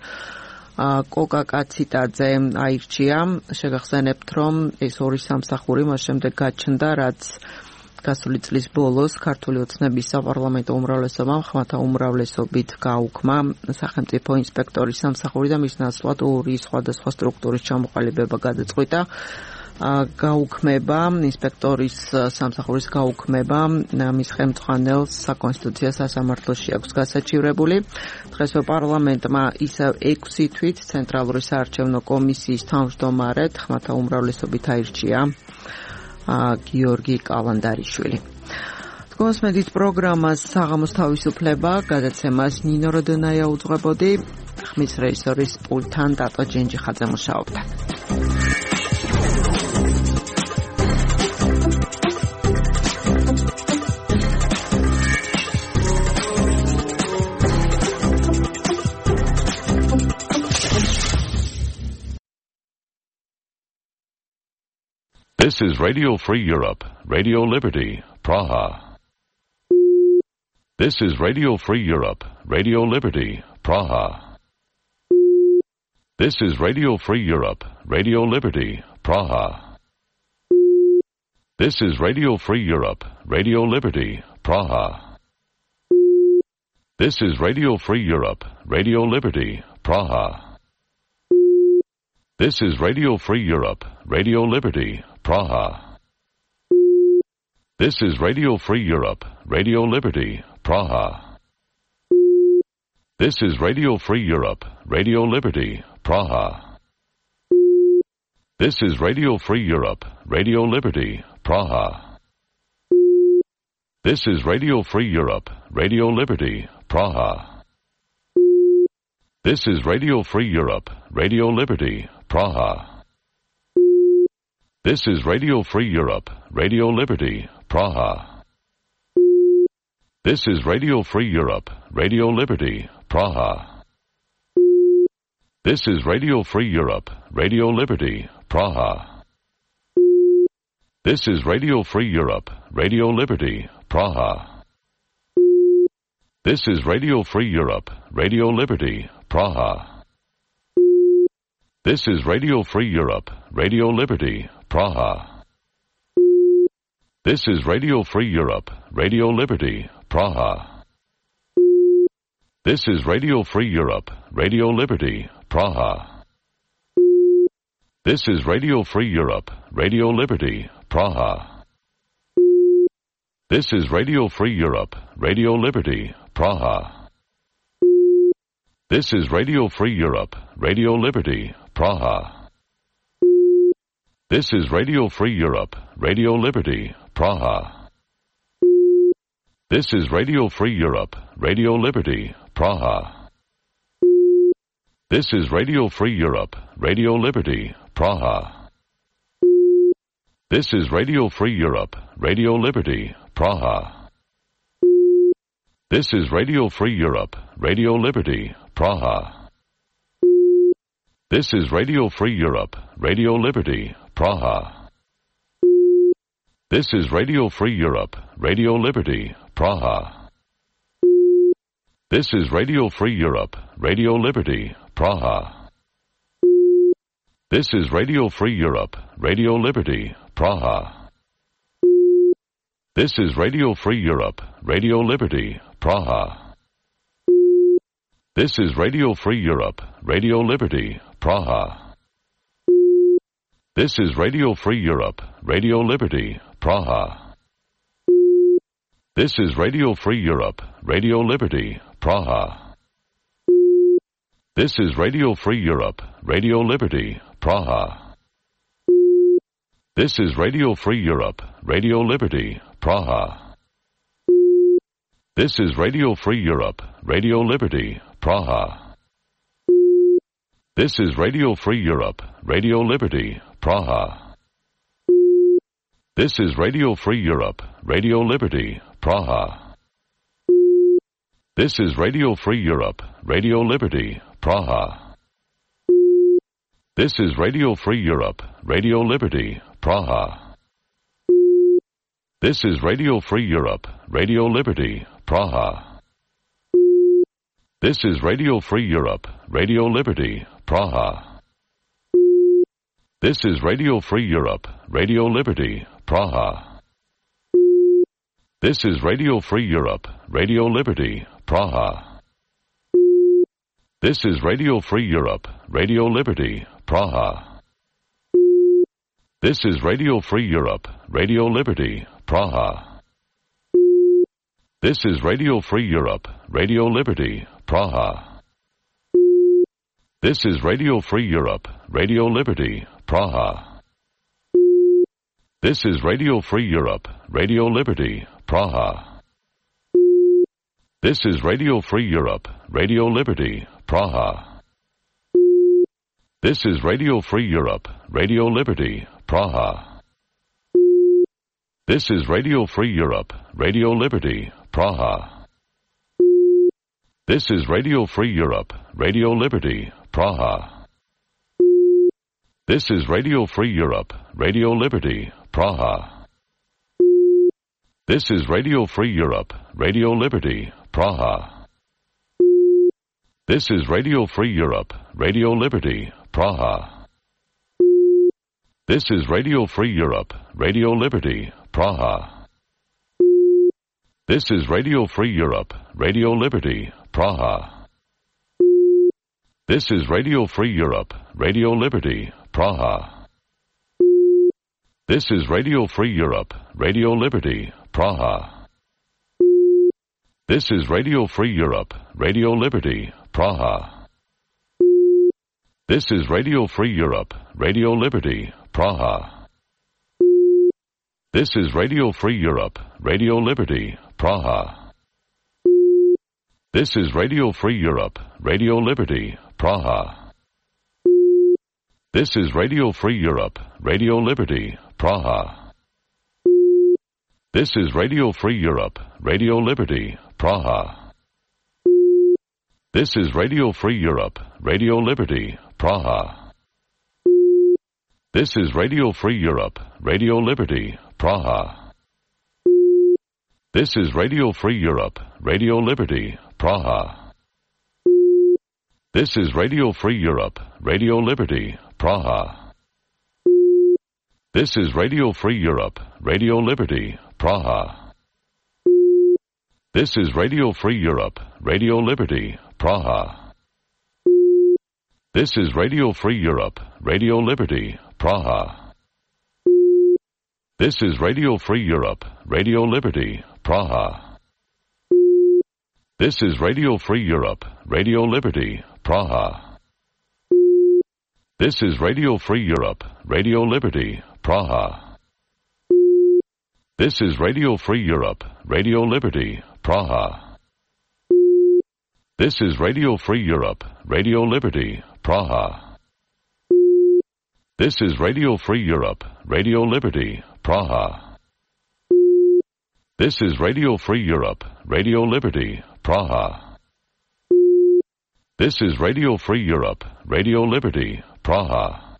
კოკა კაციტაძე აირჩია. შეგახსენებთ, რომ ეს ორი სამსახური მას შემდეგ გაჩნდა, რაც გასული წლის ბოლოს ქართული ოცნების საპარლამენტო უმრავლესობამ ხმათა უმრავლესობით გაუქმა სახელმწიფო ინსპექტორის სამსახური და მის ნაცვლად ორი სხვადასხვა სტრუქტურის ჩამოყალიბება გადაწყვიტა. გაუქმება ინსპექტორის სამსახურის გაუქმება მის ხელმძღვანელს საკონსტიტუციო სასამართლოში აქვს გასაჩივრებული. დღესვე პარლამენტმა ისევ 6 თვით ცენტრალური საარჩევნო კომისიის თავმჯდომარედ ხმათა უმრავლესობით აირჩია გიორგი კალანდარიშვილი. დგომას მედით პროგრამას საღამოს თავისუფლება გადაცემას ნინო როდონაია უძღვებოდი, ხმის რეჟისორის პულტთან დატო ჯენჯიხაძე მუშაობდა. This is Radio Free Europe, Radio Liberty, Praha. This is Radio Free Europe, Radio Liberty, Praha. This is Radio Free Europe, Radio Liberty, Praha. This is Radio Free Europe, Radio Liberty, Praha. This is Radio Free Europe, Radio Liberty, Praha. This is Radio Free Europe, Radio Liberty, Praha. This is Radio Free Europe, Radio Liberty, Praha. This is Radio Free Europe, Radio Liberty, Praha. This is Radio Free Europe, Radio Liberty, Praha. This is Radio Free Europe, Radio Liberty, Praha. This is Radio Free Europe, Radio Liberty, Praha. This is Radio Free Europe, Radio Liberty, Praha. This is Radio Free Europe, Radio Liberty, Praha. This is Radio Free Europe, Radio Liberty, Praha. This is Radio Free Europe, Radio Liberty, Praha. This is Radio Free Europe, Radio Liberty, Praha. This is Radio Free Europe, Radio Liberty, Praha. This is Radio Free Europe, Radio Liberty, Praha. This is Radio Free Europe, Radio Liberty, Praha. This is Radio Free Europe, Radio Liberty, Praha. This is Radio Free Europe, Radio Liberty, Praha. This is Radio Free Europe, Radio Liberty, Praha. This is Radio Free Europe, Radio Liberty, Praha. This is Radio Free Europe, Radio Liberty, Praha. This is Radio Free Europe, Radio Liberty, Praha. This is Radio Free Europe, Radio Liberty, Praha. This is Radio Free Europe, Radio Liberty, Praha. This is Radio Free Europe, Radio Liberty, Praha. This is Radio Free Europe, Radio Liberty, Praha. This is Radio Free Europe, Radio Liberty, Praha. This is Radio Free Europe, Radio Liberty, Praha. This is Radio Free Europe, Radio Liberty, Praha. This is Radio Free Europe, Radio Liberty, Praha. This is Radio Free Europe, Radio Liberty, Praha. This is Radio Free Europe, Radio Liberty, Praha. This is Radio Free Europe, Radio Liberty, Praha. This is Radio Free Europe, Radio Liberty, Praha. This is Radio Free Europe, Radio Liberty, Praha. This is Radio Free Europe, Radio Liberty, Praha. This is Radio Free Europe, Radio Liberty, Praha. This is Radio Free Europe, Radio Liberty, Praha. This is Radio Free Europe, Radio Liberty, Praha. This is Radio Free Europe, Radio Liberty, Praha. This is Radio Free Europe, Radio Liberty, Praha. This is Radio Free Europe, Radio Liberty, Praha. This is Radio Free Europe, Radio Liberty, Praha. This is Radio Free Europe, Radio Liberty, Praha. This is Radio Free Europe, Radio Liberty, Praha. This is Radio Free Europe, Radio Liberty, Praha. This is Radio Free Europe, Radio Liberty, Praha. This is Radio Free Europe, Radio Liberty, Praha. This is Radio Free Europe, Radio Liberty, Praha. This is Radio Free Europe, Radio Liberty, Praha. This is Radio Free Europe, Radio Liberty, Praha. This is Radio Free Europe, Radio Liberty, Praha. This is Radio Free Europe, Radio Liberty, Praha. This is Radio Free Europe, Radio Liberty, Praha. This is Radio Free Europe, Radio Liberty, Praha. This is Radio Free Europe, Radio Liberty, Praha. This is Radio Free Europe, Radio Liberty, Praha. This is Radio Free Europe, Radio Liberty, Praha. This is Radio Free Europe, Radio Liberty, Praha. This is Radio Free Europe, Radio Liberty, Praha. This is Radio Free Europe, Radio Liberty, Praha. This is Radio Free Europe, Radio Liberty, Praha. This is Radio Free Europe, Radio Liberty, Praha. This is Radio Free Europe, Radio Liberty, Praha. This is Radio Free Europe, Radio Liberty, Praha. This is Radio Free Europe, Radio Liberty, Praha. This is Radio Free Europe, Radio Liberty, Praha. This is Radio Free Europe, Radio Liberty, Praha. This is Radio Free Europe, Radio Liberty, Praha. This is Radio Free Europe, Radio Liberty, Praha. This is Radio Free Europe, Radio Liberty, Praha. This is Radio Free Europe, Radio Liberty, Praha. This is Radio Free Europe, Radio Liberty, Praha. This is Radio Free Europe, Radio Liberty, Praha. This is Radio Free Europe, Radio Liberty, Praha. This is Radio Free Europe, Radio Liberty, Praha. This is Radio Free Europe, Radio Liberty, Praha. This is Radio Free Europe, Radio Liberty, Praha. This is Radio Free Europe, Radio Liberty, Praha. This is Radio Free Europe, Radio Liberty, Praha.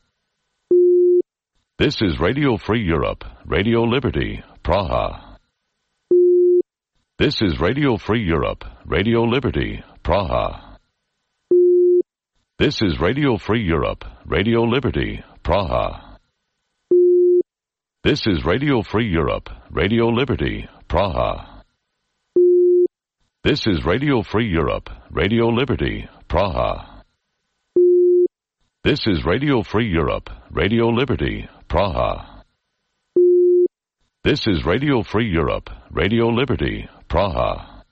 This is Radio Free Europe, Radio Liberty, Praha. This is Radio Free Europe, Radio Liberty, Praha. This is Radio Free Europe, Radio Liberty, Praha. This is Radio Free Europe, Radio Liberty, Praha. This is Radio Free Europe, Radio Liberty, Praha. This is Radio Free Europe, Radio Liberty, Praha. This is Radio Free Europe, Radio Liberty, Praha.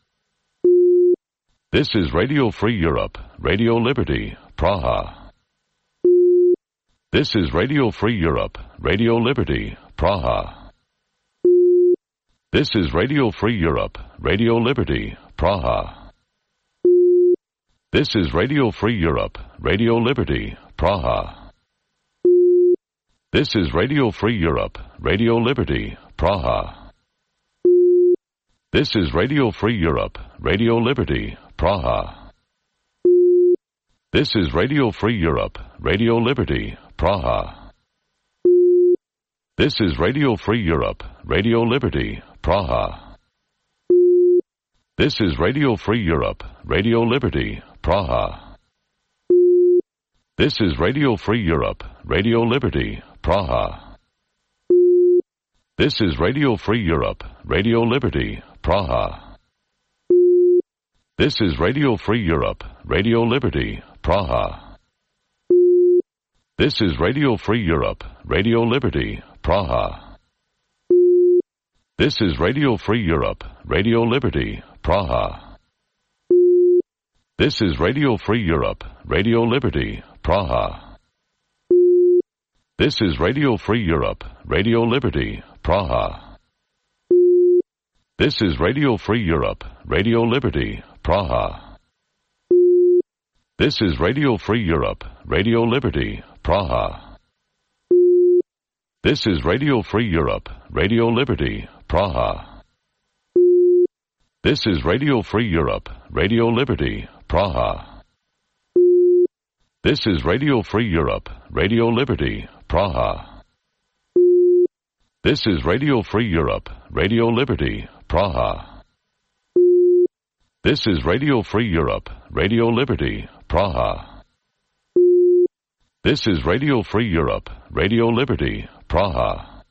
This is Radio Free Europe, Radio Liberty, Praha. This is Radio Free Europe, Radio Liberty, Praha. This is Radio Free Europe, Radio Liberty, Praha. This is Radio Free Europe, Radio Liberty, Praha. This is Radio Free Europe, Radio Liberty, Praha. This is Radio Free Europe, Radio Liberty, Praha. This is Radio Free Europe, Radio Liberty, Praha. This is Radio Free Europe, Radio Liberty, Praha. This is Radio Free Europe, Radio Liberty, Praha. This is Radio Free Europe, Radio Liberty, Praha. This is Radio Free Europe, Radio Liberty, Praha. This is Radio Free Europe, Radio Liberty, Praha. This is Radio Free Europe, Radio Liberty, Praha. This is Radio Free Europe, Radio Liberty, Praha. This is Radio Free Europe, Radio Liberty, Praha. This is Radio Free Europe, Radio Liberty, Praha. This is Radio Free Europe, Radio Liberty, Praha. This is Radio Free Europe, Radio Liberty, Praha. This is Radio Free Europe, Radio Liberty, Praha. This is Radio Free Europe, Radio Liberty, Praha. This is Radio Free Europe, Radio Liberty, Praha. This is Radio Free Europe, Radio Liberty, Praha. This is Radio Free Europe, Radio Liberty, Praha. This is Radio Free Europe, Radio Liberty, Praha.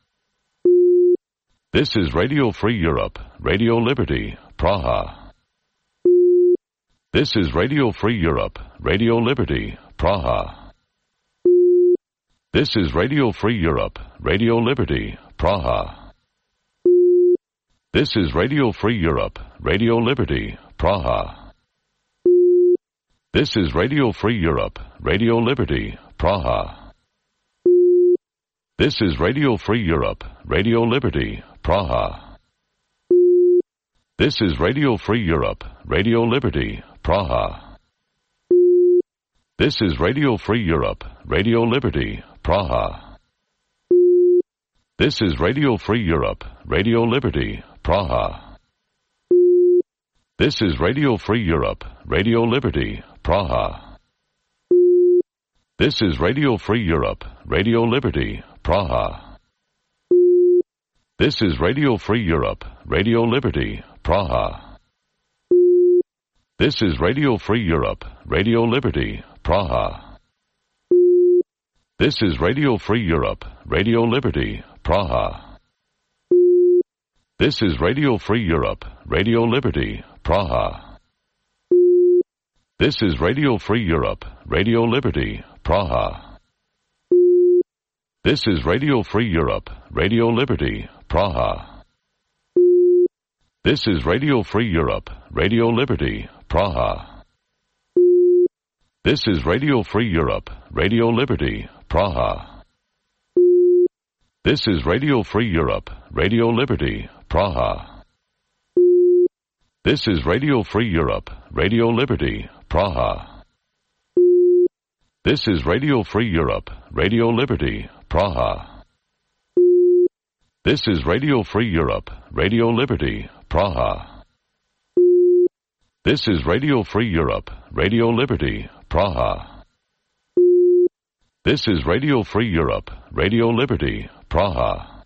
This is Radio Free Europe, Radio Liberty, Praha. This is Radio Free Europe, Radio Liberty, Praha. This is Radio Free Europe, Radio Liberty, Praha. This is Radio Free Europe, Radio Liberty, Praha. This is Radio Free Europe, Radio Liberty, Praha. This is Radio Free Europe, Radio Liberty, Praha. This is Radio Free Europe, Radio Liberty, Praha. This is Radio Free Europe, Radio Liberty, Praha. This is Radio Free Europe, Radio Liberty, Praha. This is Radio Free Europe, Radio Liberty, Praha. This is Radio Free Europe, Radio Liberty, Praha. This is Radio Free Europe, Radio Liberty, Praha. This is Radio Free Europe, Radio Liberty, Praha. This is Radio Free Europe, Radio Liberty, Praha. This is Radio Free Europe, Radio Liberty, Praha. This is Radio Free Europe, Radio Liberty, Praha. This is Radio Free Europe, Radio Liberty, Praha. This is Radio Free Europe, Radio Liberty, Praha. This is Radio Free Europe, Radio Liberty, Praha. This is Radio Free Europe, Radio Liberty, Praha. This is Radio Free Europe, Radio Liberty, Praha. This is Radio Free Europe, Radio Liberty, Praha. This is Radio Free Europe, Radio Liberty, Praha. This is Radio Free Europe, Radio Liberty, Praha. This is Radio Free Europe, Radio Liberty, Praha.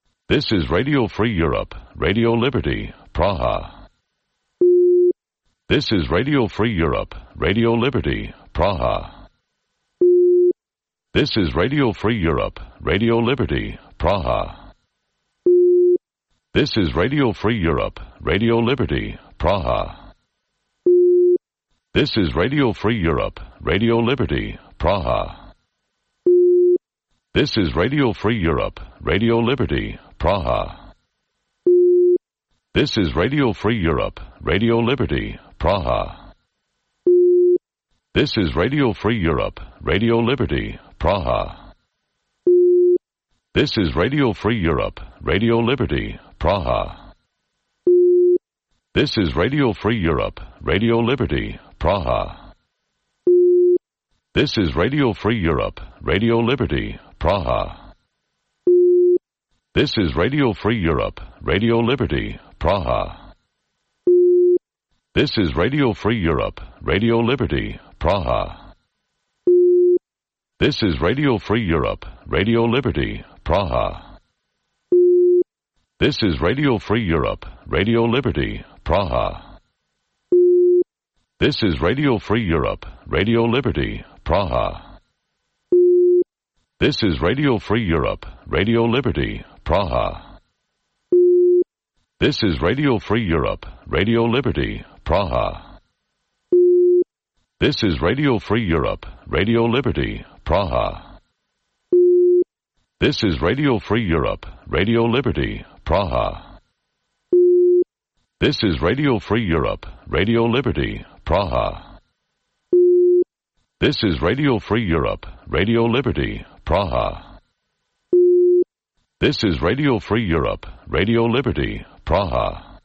This is Radio Free Europe, Radio Liberty, Praha. This is Radio Free Europe, Radio Liberty, Praha. This is Radio Free Europe, Radio Liberty, Praha. This is Radio Free Europe, Radio Liberty, Praha. This is Radio Free Europe, Radio Liberty, Praha. This is Radio Free Europe, Radio Liberty, Praha. This is Radio Free Europe, Radio Liberty, Praha. This is Radio Free Europe, Radio Liberty, Praha. This is Radio Free Europe, Radio Liberty, Praha. This is Radio Free Europe, Radio Liberty, Praha. This is Radio Free Europe, Radio Liberty, Praha. This is Radio Free Europe, Radio Liberty, Praha. This is Radio Free Europe, Radio Liberty, Praha. This is Radio Free Europe, Radio Liberty, Praha. This is Radio Free Europe, Radio Liberty, Praha. This is Radio Free Europe, Radio Liberty, Praha. This is Radio Free Europe, Radio Liberty, Praha. This is Radio Free Europe, Radio Liberty, Praha. This is Radio Free Europe, Radio Liberty, Praha. This is Radio Free Europe, Radio Liberty, Praha. This is Radio Free Europe, Radio Liberty, Praha. This is Radio Free Europe, Radio Liberty, Praha. This is Radio Free Europe, Radio Liberty, Praha.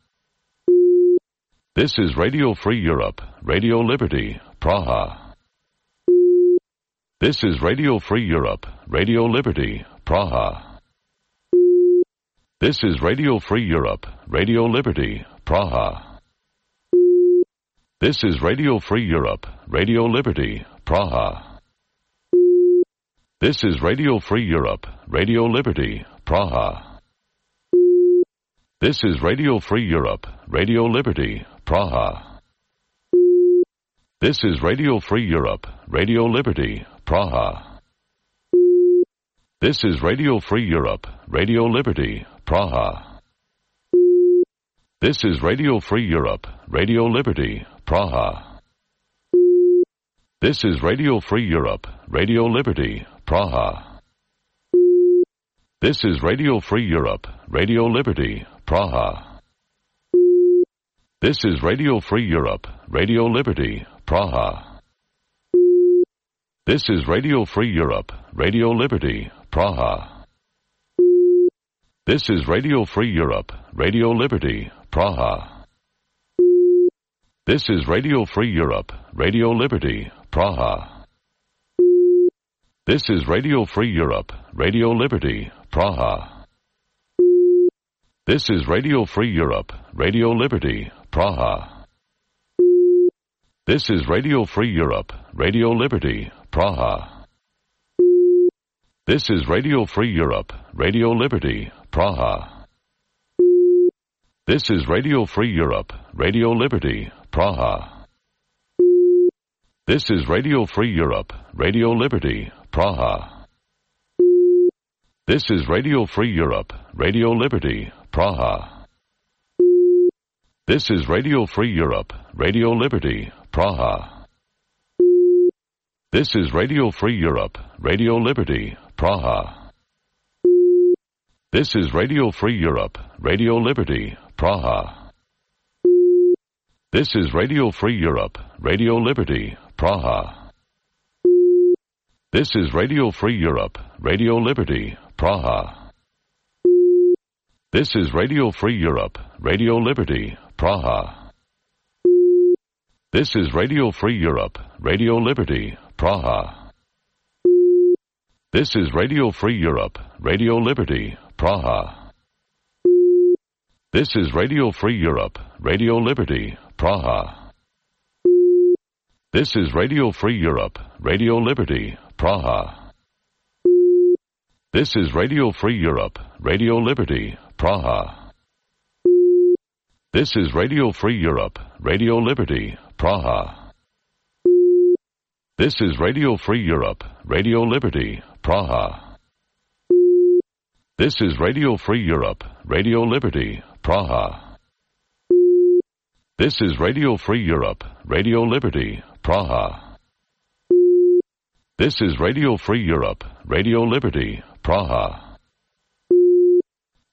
This is Radio Free Europe, Radio Liberty, Praha. This is Radio Free Europe, Radio Liberty, Praha. This is Radio Free Europe, Radio Liberty, Praha. This is Radio Free Europe, Radio Liberty, Praha. This is Radio Free Europe, Radio Liberty, Praha. This is Radio Free Europe, Radio Liberty, Praha. This is Radio Free Europe, Radio Liberty, Praha. This is Radio Free Europe, Radio Liberty, Praha. This is Radio Free Europe, Radio Liberty, Praha. This is Radio Free Europe, Radio Liberty, Praha. This is Radio Free Europe, Radio Liberty, Praha. This is Radio Free Europe, Radio Liberty, Praha. This is Radio Free Europe, Radio Liberty, Praha. This is Radio Free Europe, Radio Liberty, Praha. This is Radio Free Europe, Radio Liberty, Praha. This is Radio Free Europe, Radio Liberty, Praha. This is Radio Free Europe, Radio Liberty, Praha. This is Radio Free Europe, Radio Liberty, Praha. This is Radio Free Europe, Radio Liberty, Praha. This is Radio Free Europe, Radio Liberty, Praha. This is Radio Free Europe, Radio Liberty, Praha. This is Radio Free Europe, Radio Liberty, Praha. This is Radio Free Europe, Radio Liberty, Praha. This is Radio Free Europe, Radio Liberty, Praha. This is Radio Free Europe, Radio Liberty, Praha. This is Radio Free Europe, Radio Liberty, Praha. This is Radio Free Europe, Radio Liberty, Praha. This is Radio Free Europe, Radio Liberty, Praha. This is Radio Free Europe, Radio Liberty, Praha. This is Radio Free Europe, Radio Liberty, Praha. This is Radio Free Europe, Radio Liberty, Praha. This is Radio Free Europe, Radio Liberty, Praha. This is Radio Free Europe, Radio Liberty, Praha. This is Radio Free Europe, Radio Liberty, Praha. This is Radio Free Europe, Radio Liberty, Praha. This is Radio Free Europe, Radio Liberty, Praha. This is Radio Free Europe, Radio Liberty, Praha. This is Radio Free Europe, Radio Liberty, Praha.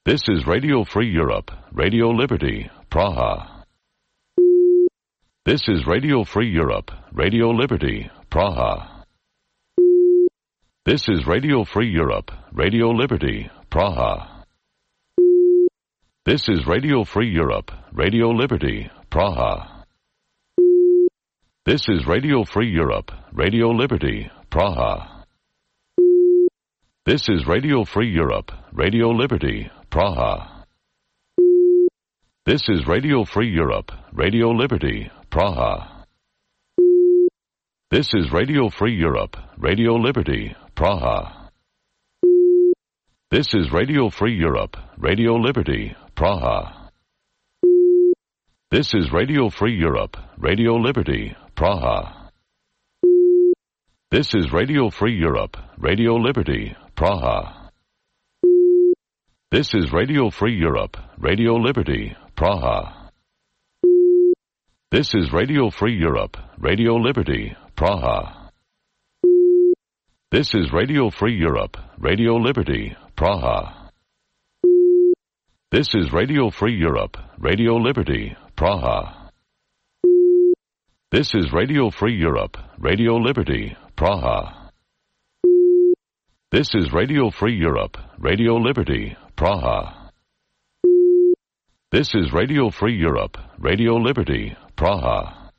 This is Radio Free Europe, Radio Liberty, Praha. This is Radio Free Europe, Radio Liberty, Praha. This is Radio Free Europe, Radio Liberty, Praha. This is Radio Free Europe, Radio Liberty, Praha. This is Radio Free Europe, Radio Liberty, Praha. This is Radio Free Europe, Radio Liberty, Praha. This is Radio Free Europe, Radio Liberty, Praha. This is Radio Free Europe, Radio Liberty, Praha. This is Radio Free Europe, Radio Liberty, Praha. This is Radio Free Europe, Radio Liberty, Praha. This is Radio Free Europe, Radio Liberty, Praha. This is Radio Free Europe, Radio Liberty, Praha. This is Radio Free Europe, Radio Liberty, Praha. This is Radio Free Europe, Radio Liberty, Praha. This is Radio Free Europe, Radio Liberty, Praha. This is Radio Free Europe, Radio Liberty, Praha. This is Radio Free Europe, Radio Liberty, Praha. This is Radio Free Europe, Radio Liberty, Praha.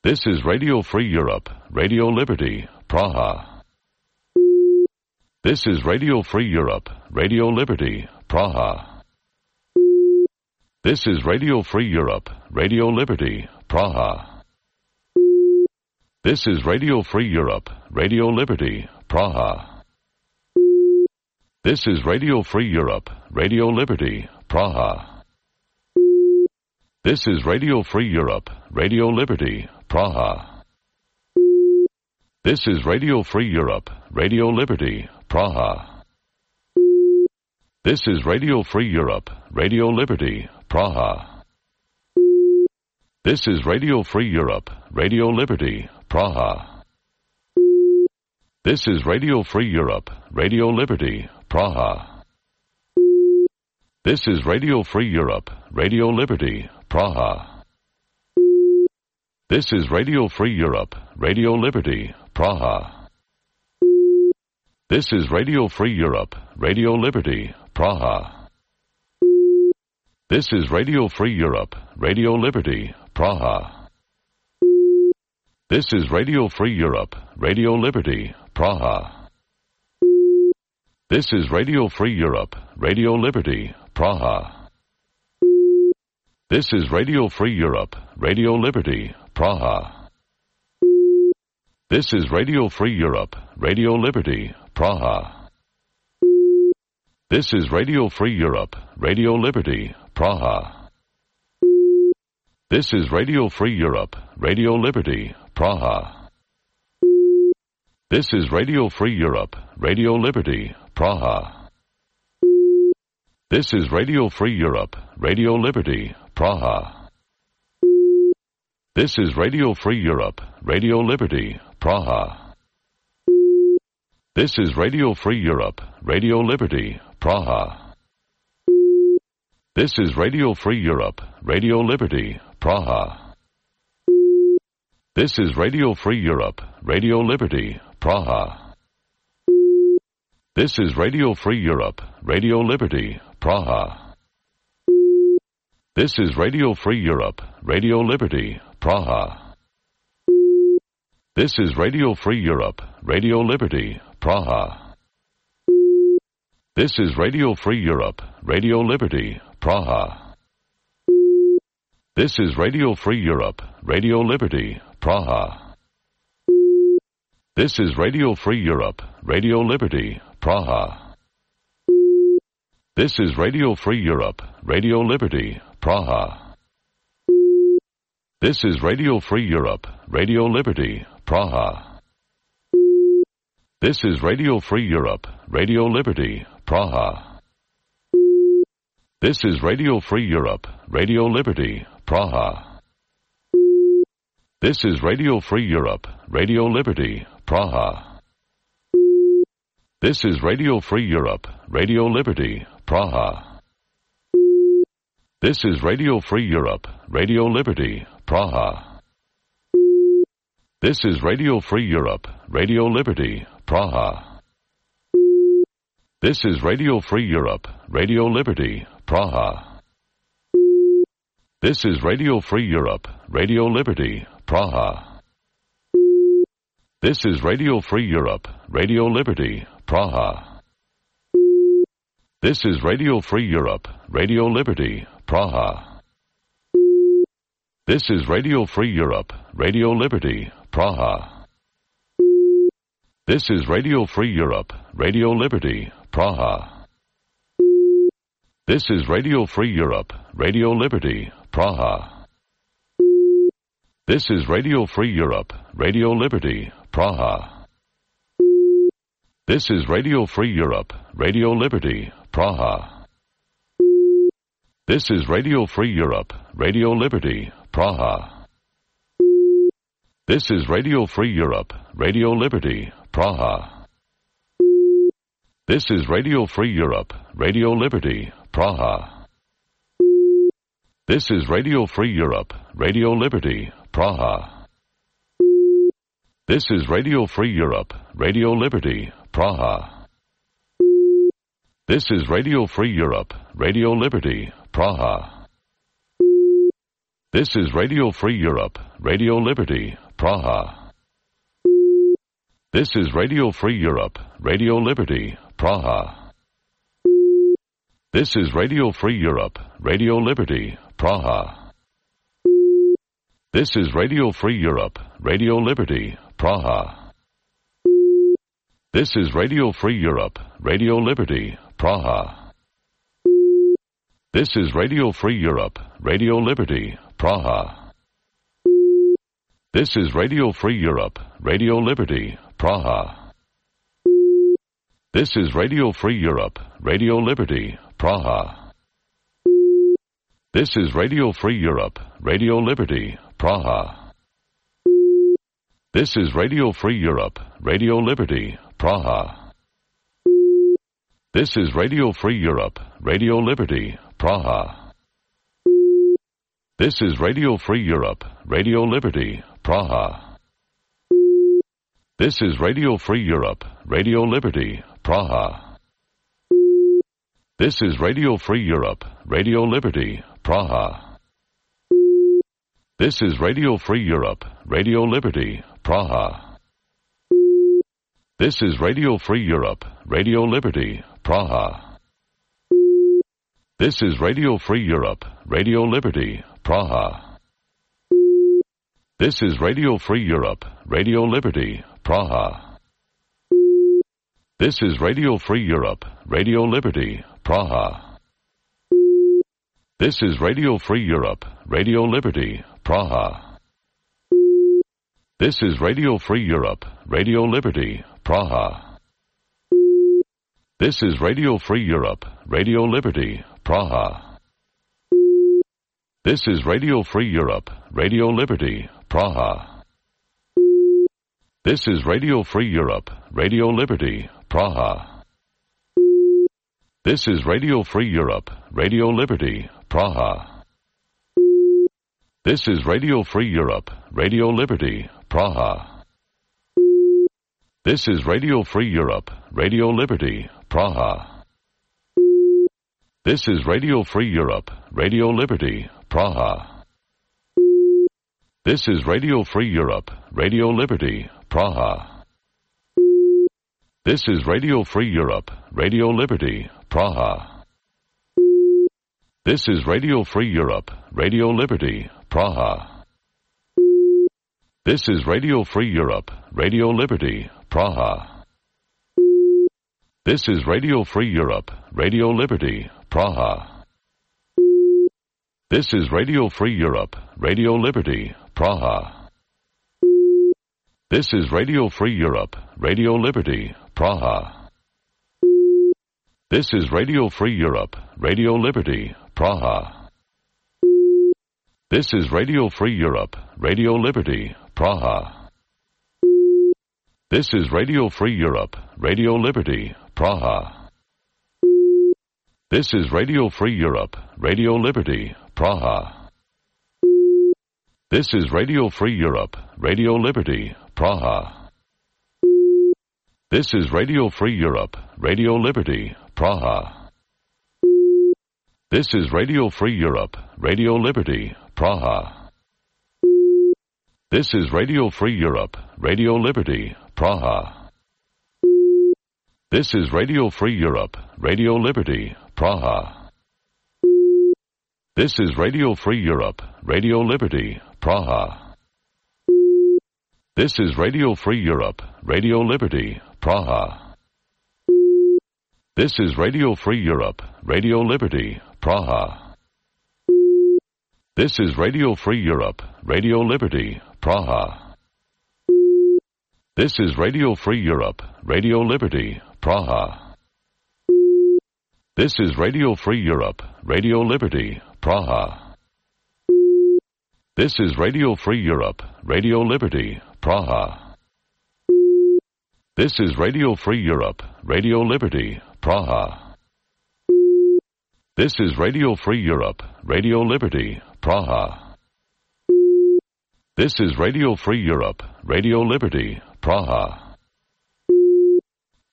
This is Radio Free Europe, Radio Liberty, Praha. This is Radio Free Europe, Radio Liberty, Praha. This is Radio Free Europe, Radio Liberty, Praha. This is Radio Free Europe, Radio Liberty, Praha. This is Radio Free Europe, Radio Liberty, Praha. This is Radio Free Europe, Radio Liberty, Praha. This is Radio Free Europe, Radio Liberty, Praha. This is Radio Free Europe, Radio Liberty, Praha. This is Radio Free Europe, Radio Liberty, Praha. This is Radio Free Europe, Radio Liberty, Praha. This is Radio Free Europe, Radio Liberty, Praha. This is Radio Free Europe, Radio Liberty, Praha. This is Radio Free Europe, Radio Liberty, Praha. This is Radio Free Europe, Radio Liberty, Praha. This is Radio Free Europe, Radio Liberty, Praha. This is Radio Free Europe, Radio Liberty, Praha. This is Radio Free Europe, Radio Liberty, Praha. This is Radio Free Europe, Radio Liberty, Praha. This is Radio Free Europe, Radio Liberty, Praha. This is Radio Free Europe, Radio Liberty, Praha. This is Radio Free Europe, Radio Liberty, Praha. This is Radio Free Europe, Radio Liberty, Praha. This is Radio Free Europe, Radio Liberty, Praha. This is Radio Free Europe, Radio Liberty, Praha. This is Radio Free Europe, Radio Liberty, Praha. This is Radio Free Europe, Radio Liberty, Praha. This is Radio Free Europe, Radio Liberty, Praha. This is Radio Free Europe, Radio Liberty, Praha. This is Radio Free Europe, Radio Liberty, Praha. This is Radio Free Europe, Radio Liberty, Praha. This is Radio Free Europe, Radio Liberty, Praha. This is Radio Free Europe, Radio Liberty, Praha. This is Radio Free Europe, Radio Liberty, Praha. This is Radio Free Europe, Radio Liberty, Praha. This is Radio Free Europe, Radio Liberty, Praha. This is Radio Free Europe, Radio Liberty, Praha. This is Radio Free Europe, Radio Liberty, Praha. This is Radio Free Europe, Radio Liberty, Praha. This is Radio Free Europe, Radio Liberty, Praha. This is Radio Free Europe, Radio Liberty, Praha. This is Radio Free Europe, Radio Liberty, Praha. This is Radio Free Europe, Radio Liberty, Praha. This is Radio Free Europe, Radio Liberty, Praha. This is Radio Free Europe, Radio Liberty, Praha. This is Radio Free Europe, Radio Liberty, Praha. This is Radio Free Europe, Radio Liberty, Praha. This is Radio Free Europe, Radio Liberty, Praha. This is Radio Free Europe, Radio Liberty, Praha. This is Radio Free Europe, Radio Liberty, Praha. This is Radio Free Europe, Radio Liberty, Praha. This is Radio Free Europe, Radio Liberty, Praha. This is Radio Free Europe, Radio Liberty, Praha. This is Radio Free Europe, Radio Liberty, Praha. This is Radio Free Europe, Radio Liberty, Praha. This is Radio Free Europe, Radio Liberty, Praha. This is Radio Free Europe, Radio Liberty, Praha. This is Radio Free Europe, Radio Liberty, Praha. This is Radio Free Europe, Radio Liberty, Praha. This is Radio Free Europe, Radio Liberty, Praha. This is Radio Free Europe, Radio Liberty, Praha. This is Radio Free Europe, Radio Liberty, Praha. This is Radio Free Europe, Radio Liberty, Praha. This is Radio Free Europe, Radio Liberty, Praha. This is Radio Free Europe, Radio Liberty, Praha. This is Radio Free Europe, Radio Liberty, Praha. This is Radio Free Europe, Radio Liberty, Praha. This is Radio Free Europe, Radio Liberty, Praha. This is Radio Free Europe, Radio Liberty, Praha. This is Radio Free Europe, Radio Liberty, Praha. This is Radio Free Europe, Radio Liberty, Praha. This is Radio Free Europe, Radio Liberty, Praha. This is Radio Free Europe, Radio Liberty, Praha. This is Radio Free Europe, Radio Liberty, Praha. This is Radio Free Europe, Radio Liberty, Praha. This is Radio Free Europe, Radio Liberty, Praha. This is Radio Free Europe, Radio Liberty, Praha. This is Radio Free Europe, Radio Liberty, Praha. This is Radio Free Europe, Radio Liberty, Praha. This is Radio Free Europe, Radio Liberty, Praha. This is Radio Free Europe, Radio Liberty, Praha. This is Radio Free Europe, Radio Liberty, Praha. This is Radio Free Europe, Radio Liberty, Praha. This is Radio Free Europe, Radio Liberty, Praha. This is Radio Free Europe, Radio Liberty, Praha. This is Radio Free Europe, Radio Liberty, Praha. This is Radio Free Europe, Radio Liberty, Praha. This is Radio Free Europe, Radio Liberty, Praha. This is Radio Free Europe, Radio Liberty, Praha. This is Radio Free Europe, Radio Liberty, Praha. This is Radio Free Europe, Radio Liberty, Praha. This is Radio Free Europe, Radio Liberty, Praha. This is Radio Free Europe, Radio Liberty, Praha. This is Radio Free Europe, Radio Liberty, Praha. This is Radio Free Europe, Radio Liberty, Praha. This is Radio Free Europe, Radio Liberty, Praha. This is Radio Free Europe, Radio Liberty, Praha. This is Radio Free Europe, Radio Liberty, Praha. This is Radio Free Europe, Radio Liberty, Praha. This is Radio Free Europe, Radio Liberty, Praha. This is Radio Free Europe, Radio Liberty, Praha. This is Radio Free Europe, Radio Liberty, Praha. This is Radio Free Europe, Radio Liberty, Praha. This is Radio Free Europe, Radio Liberty, Praha. This is Radio Free Europe, Radio Liberty, Praha. This is Radio Free Europe, Radio Liberty, Praha. This is Radio Free Europe, Radio Liberty, Praha. This is Radio Free Europe, Radio Liberty, Praha. This is Radio Free Europe, Radio Liberty, Praha. This is Radio Free Europe, Radio Liberty, Praha.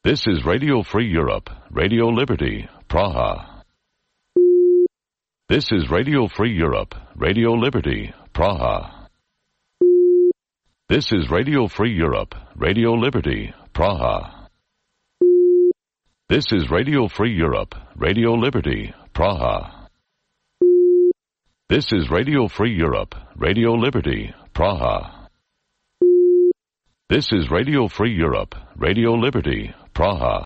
This is Radio Free Europe, Radio Liberty, Praha. This is Radio Free Europe, Radio Liberty, Praha. This is Radio Free Europe, Radio Liberty, Praha. This is Radio Free Europe, Radio Liberty, Praha. This is Radio Free Europe, Radio Liberty, Praha. This is Radio Free Europe, Radio Liberty, Praha.